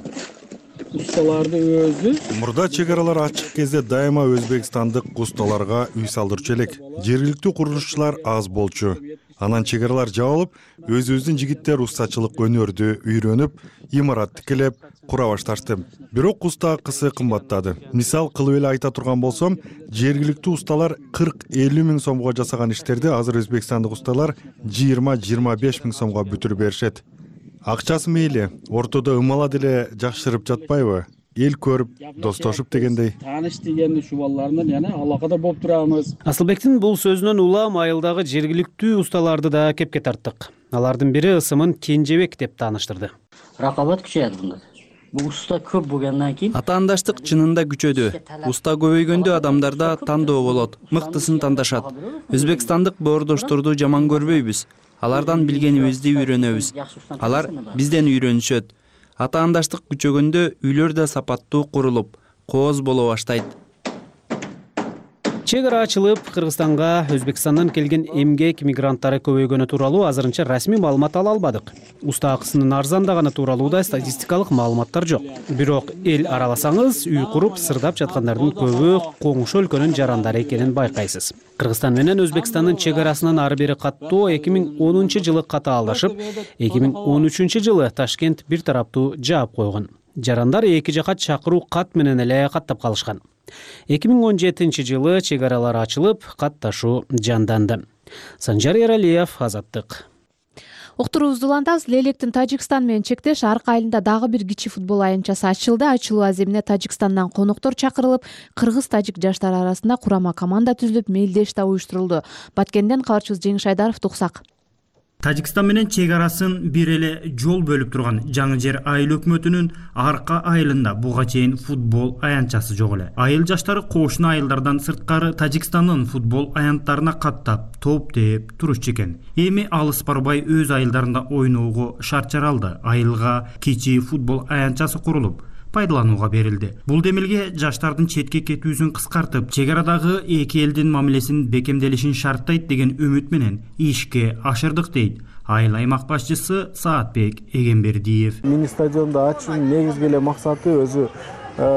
Ustalarda özü. Мурда чек аралар ачык кезде дайыма өзбекстандык усталарга үй салдырчу элек. Жергиликтүү курулушчулар аз болчу. Анан чек аралар жабылып, өзүбүздүн жигиттер устачылык өнөрдү үйрөнүп, имарат тикелеп кура башташты. Бирок уста акысы кымбаттады. Мисал кылып эле айта турган болсом, жергиликтүү усталар 40-50 миң сомго жасаган иштерди азыр өзбекстандык усталар 20-25 миң сомго бүтүрүп беришет. Акчасы мейли, ортодо ымала деле жакшырып жатпайбы? эл көрүп достошуп дегендей. Тааныш деген ушу балдар менен яна алакада болуп турабыз. Асылбектин бул сөзүнөн улам айылдагы жергиликтүү усталарды да кепке тарттык. Алардын бири ысымын Кенжебек деп тааныштырды. Ракабат күчөйт мында. Бул уста көп болгондон кийин атаандаштык чынында күчөдү. Уста көбөйгөндө адамдарда тандоо болот, мыктысын тандашат. Өзбекстандык боордошторду жаман көрбөйбүз. Алардан билгенибизди үйрөнөбүз. Алар бизден үйрөнүшөт. Атаандаштык күчөгөндө үйлөр да сапаттуу курулуп, кооз боло баштайт. Чек ара ачылып, Кыргызстанга Өзбекстандан келген эмгек мигранттары көбөйгөнү тууралуу азырынча расмий маалымат ала албадык. Уста акысынын арзандаганы тууралуу да статистикалык маалыматтар жок. Бирок эл араласаңыз, үй куруп сырдап жаткандардын көбү коңшу өлкөнүн жарандары экенин байкайсыз. Кыргызстан менен Өзбекстандын чек арасынан ары бери каттоо 2010-жылы катаалдашып, 2013 жылы Ташкент бир тараптуу жаап койгон. Жарандар эки жака чакыруу кат менен эле каттап калышкан. 2017 жылы чек аралар ачылып, катташуу жанданды. Санжар Яралиев, Азаттык. Уктуруубузду улантабыз. Лелектин Тажикстан менен чектеш арка айылында дагы бир кичи футбол аянтчасы ачылды. Ачылуу аземине Тажикстандан коноктор чакырылып, кыргыз-тажик жаштар арасында курама команда түзүлүп, мелдеш да уюштурулду. Баткенден кабарчыбыз Жеңиш Айдаров туксак. Тажикстан менен чек арасын бир эле жол бөлүп турган Жаңы Жер айыл өкмөтүнүн арка айылында буга чейин футбол аянтчасы жок эле. Айыл жаштары кошуна айылдардан сырткары Тажикстандын футбол аянттарына каттап, топ тээп турушчу экен. Эми алыс барбай өз айылдарында ойноого шарт жаралды. Айылга кичи футбол аянтчасы курулуп, пайдаланууга берилди. Бул демилге жаштардын четке кетүүсүн кыскартып, чек арадагы эки элдин мамилесин бекемделишин шарттайт деген үмүт менен ишке ашырдык дейт айыл аймак башчысы Саатбек Эгембердиев. Мини стадионду ачуунун негизги эле максаты өзү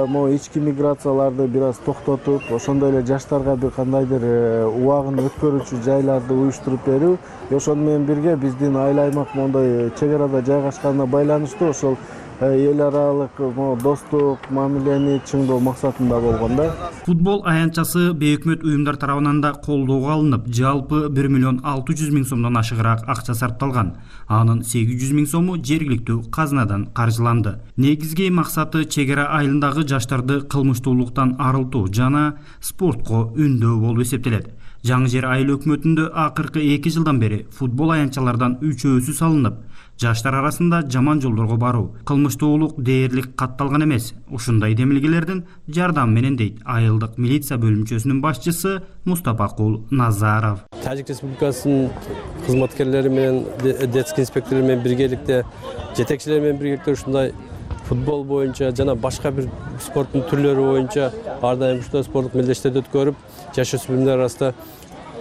могу ички миграцияларды бир аз токтотуп, ошондой эле жаштарга бир кандайдыр убагын өткөрүүчү жайларды уюштуруп берүү. Ошону менен бирге биздин айыл аймак моундай чек арада жайгашканына байланыштуу ошол эл аралык достук мамилени чыңдоо максатында болгон да. Футбол аянтчасы бейөкмөт уюмдар тарабынан да колдоого алынып, жалпы 1 миллион 600 миң сомдон ашыгыраак акча сарпталган. Анын 800 миң сому жергиликтүү казынадан каржыланды. Негизги максаты чек ара айылындагы жаштарды кылмыштуулуктан арылтуу жана спортко үндөө болуп эсептелет. Жаңы Жер айыл өкмөтүндө акыркы 2 жылдан бери футбол аянтчалардан 3-өсү салынып, жаштар арасында жаман жолдорго баруу, кылмыштуулук дээрлик катталган эмес. Ушундай демилгелердин жардамы менен дейт айылдык милиция бөлүмчөсүнүн башчысы Мустапакул Назаров. Тажик Республикасынын кызматкерлери менен, детский инспекторлор менен биргеликте, жетекчилер менен биргеликте ушундай футбол боюнча жана башка бир спорттун түрлөрү боюнча ар дайым ушундай спорттук мелдештерди өткөрүп, жаш өспүрүмдөр арасында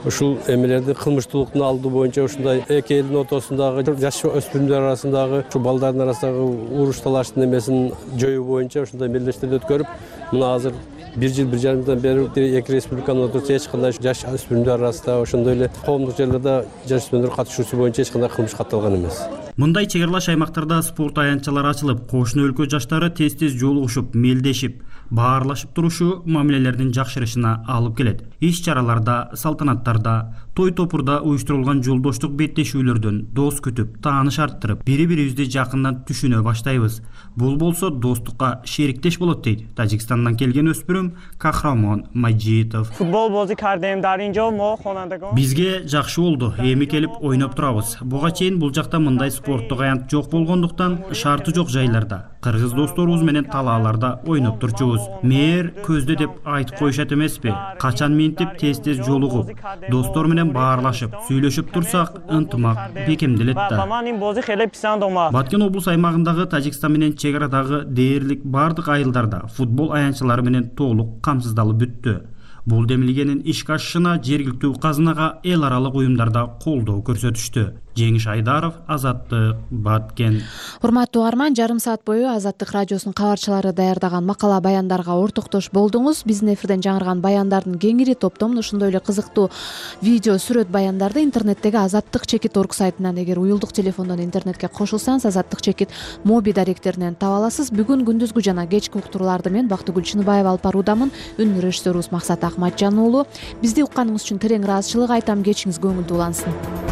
ушул эмелерди кылмыштуулуктун алдоо боюнча ушундай эки элдин ортосундагы жаш өспүрүмдөр арасындагы ушу балдардын арасындагы уруш талаштын эмесин жоюу боюнча ушундай мелдештерди өткөрүп, мына азыр 1 жыл 1,5 жылдан бери эки республиканын ортосунда эч кандай жаш өспүрүмдөр арасында ошондой эле коомдук жерлерде жаш өспүрүмдөр катышуусу боюнча эч кандай кылмыш катталган эмес. Мындай чек аралаш аймактарда спорт аянтчалары ачылып, кошуна өлкө жаштары тез-тез жолугушуп, мелдешип, баарлашып турушу мамилелердин жакшырышына алып келет. Иш-чараларда, салтанаттарда, той-топурда уюштурулган жолдоштук беттешүүлөрдөн дос күтүп, тааныш арттырып, бири-бирибизди жакындан түшүнө баштайбыз. Бул болсо достукка шериктеш болот дейт Тажикстандан келген өспүрүм Кахрамон Маджитов. Бизге жакшы болду, эми келип ойноп турабыз. Буга чейин бул жакта мындай спорттук аянт жок болгондуктан шарты жок жайларда, кыргыз досторубуз менен талааларда ойноп турчубуз. Мээр көздө деп айтып коюшат эмеспи? Качан минтип тез-тез жолугуп, достор менен баарлашып, сүйлөшүп турсак, ынтымак бекемделет да. Баткен облус аймагындагы Тажикстан менен чек арадагы дээрлик бардык айылдарда футбол аянтчалары менен толук камсыздалып бүттү. Бул демилгенин ишке ашышына жергиликтүү казынага эл аралык уюмдарда колдоо көрсөтүштү. Жеңиш Айдаров, Азаттык, Баткен. Урматтуу угарман, жарым саат бою Азаттык радиосунун кабарчылары даярдаган макала баяндарга ортоктош болдуңуз. Биздин эфирден жаңырган баяндардын кеңири топтомун ошондой эле кызыктуу видео, сүрөт баяндарды интернеттеги azattik.org сайтынан, эгер уюлдук телефондон интернетке кошулсаңыз, Азаттык моби даректеринен таба аласыз. Бүгүн күндүзгү жана кечки уктурууларды мен Бактыгүл Чыныбаева алып баруудамын. Үн режиссерубуз Максат Акматжан уулу. Бизди укканыңыз үчүн терең ыраазычылык айтам. Кечиңиз көңүлдүү улансын.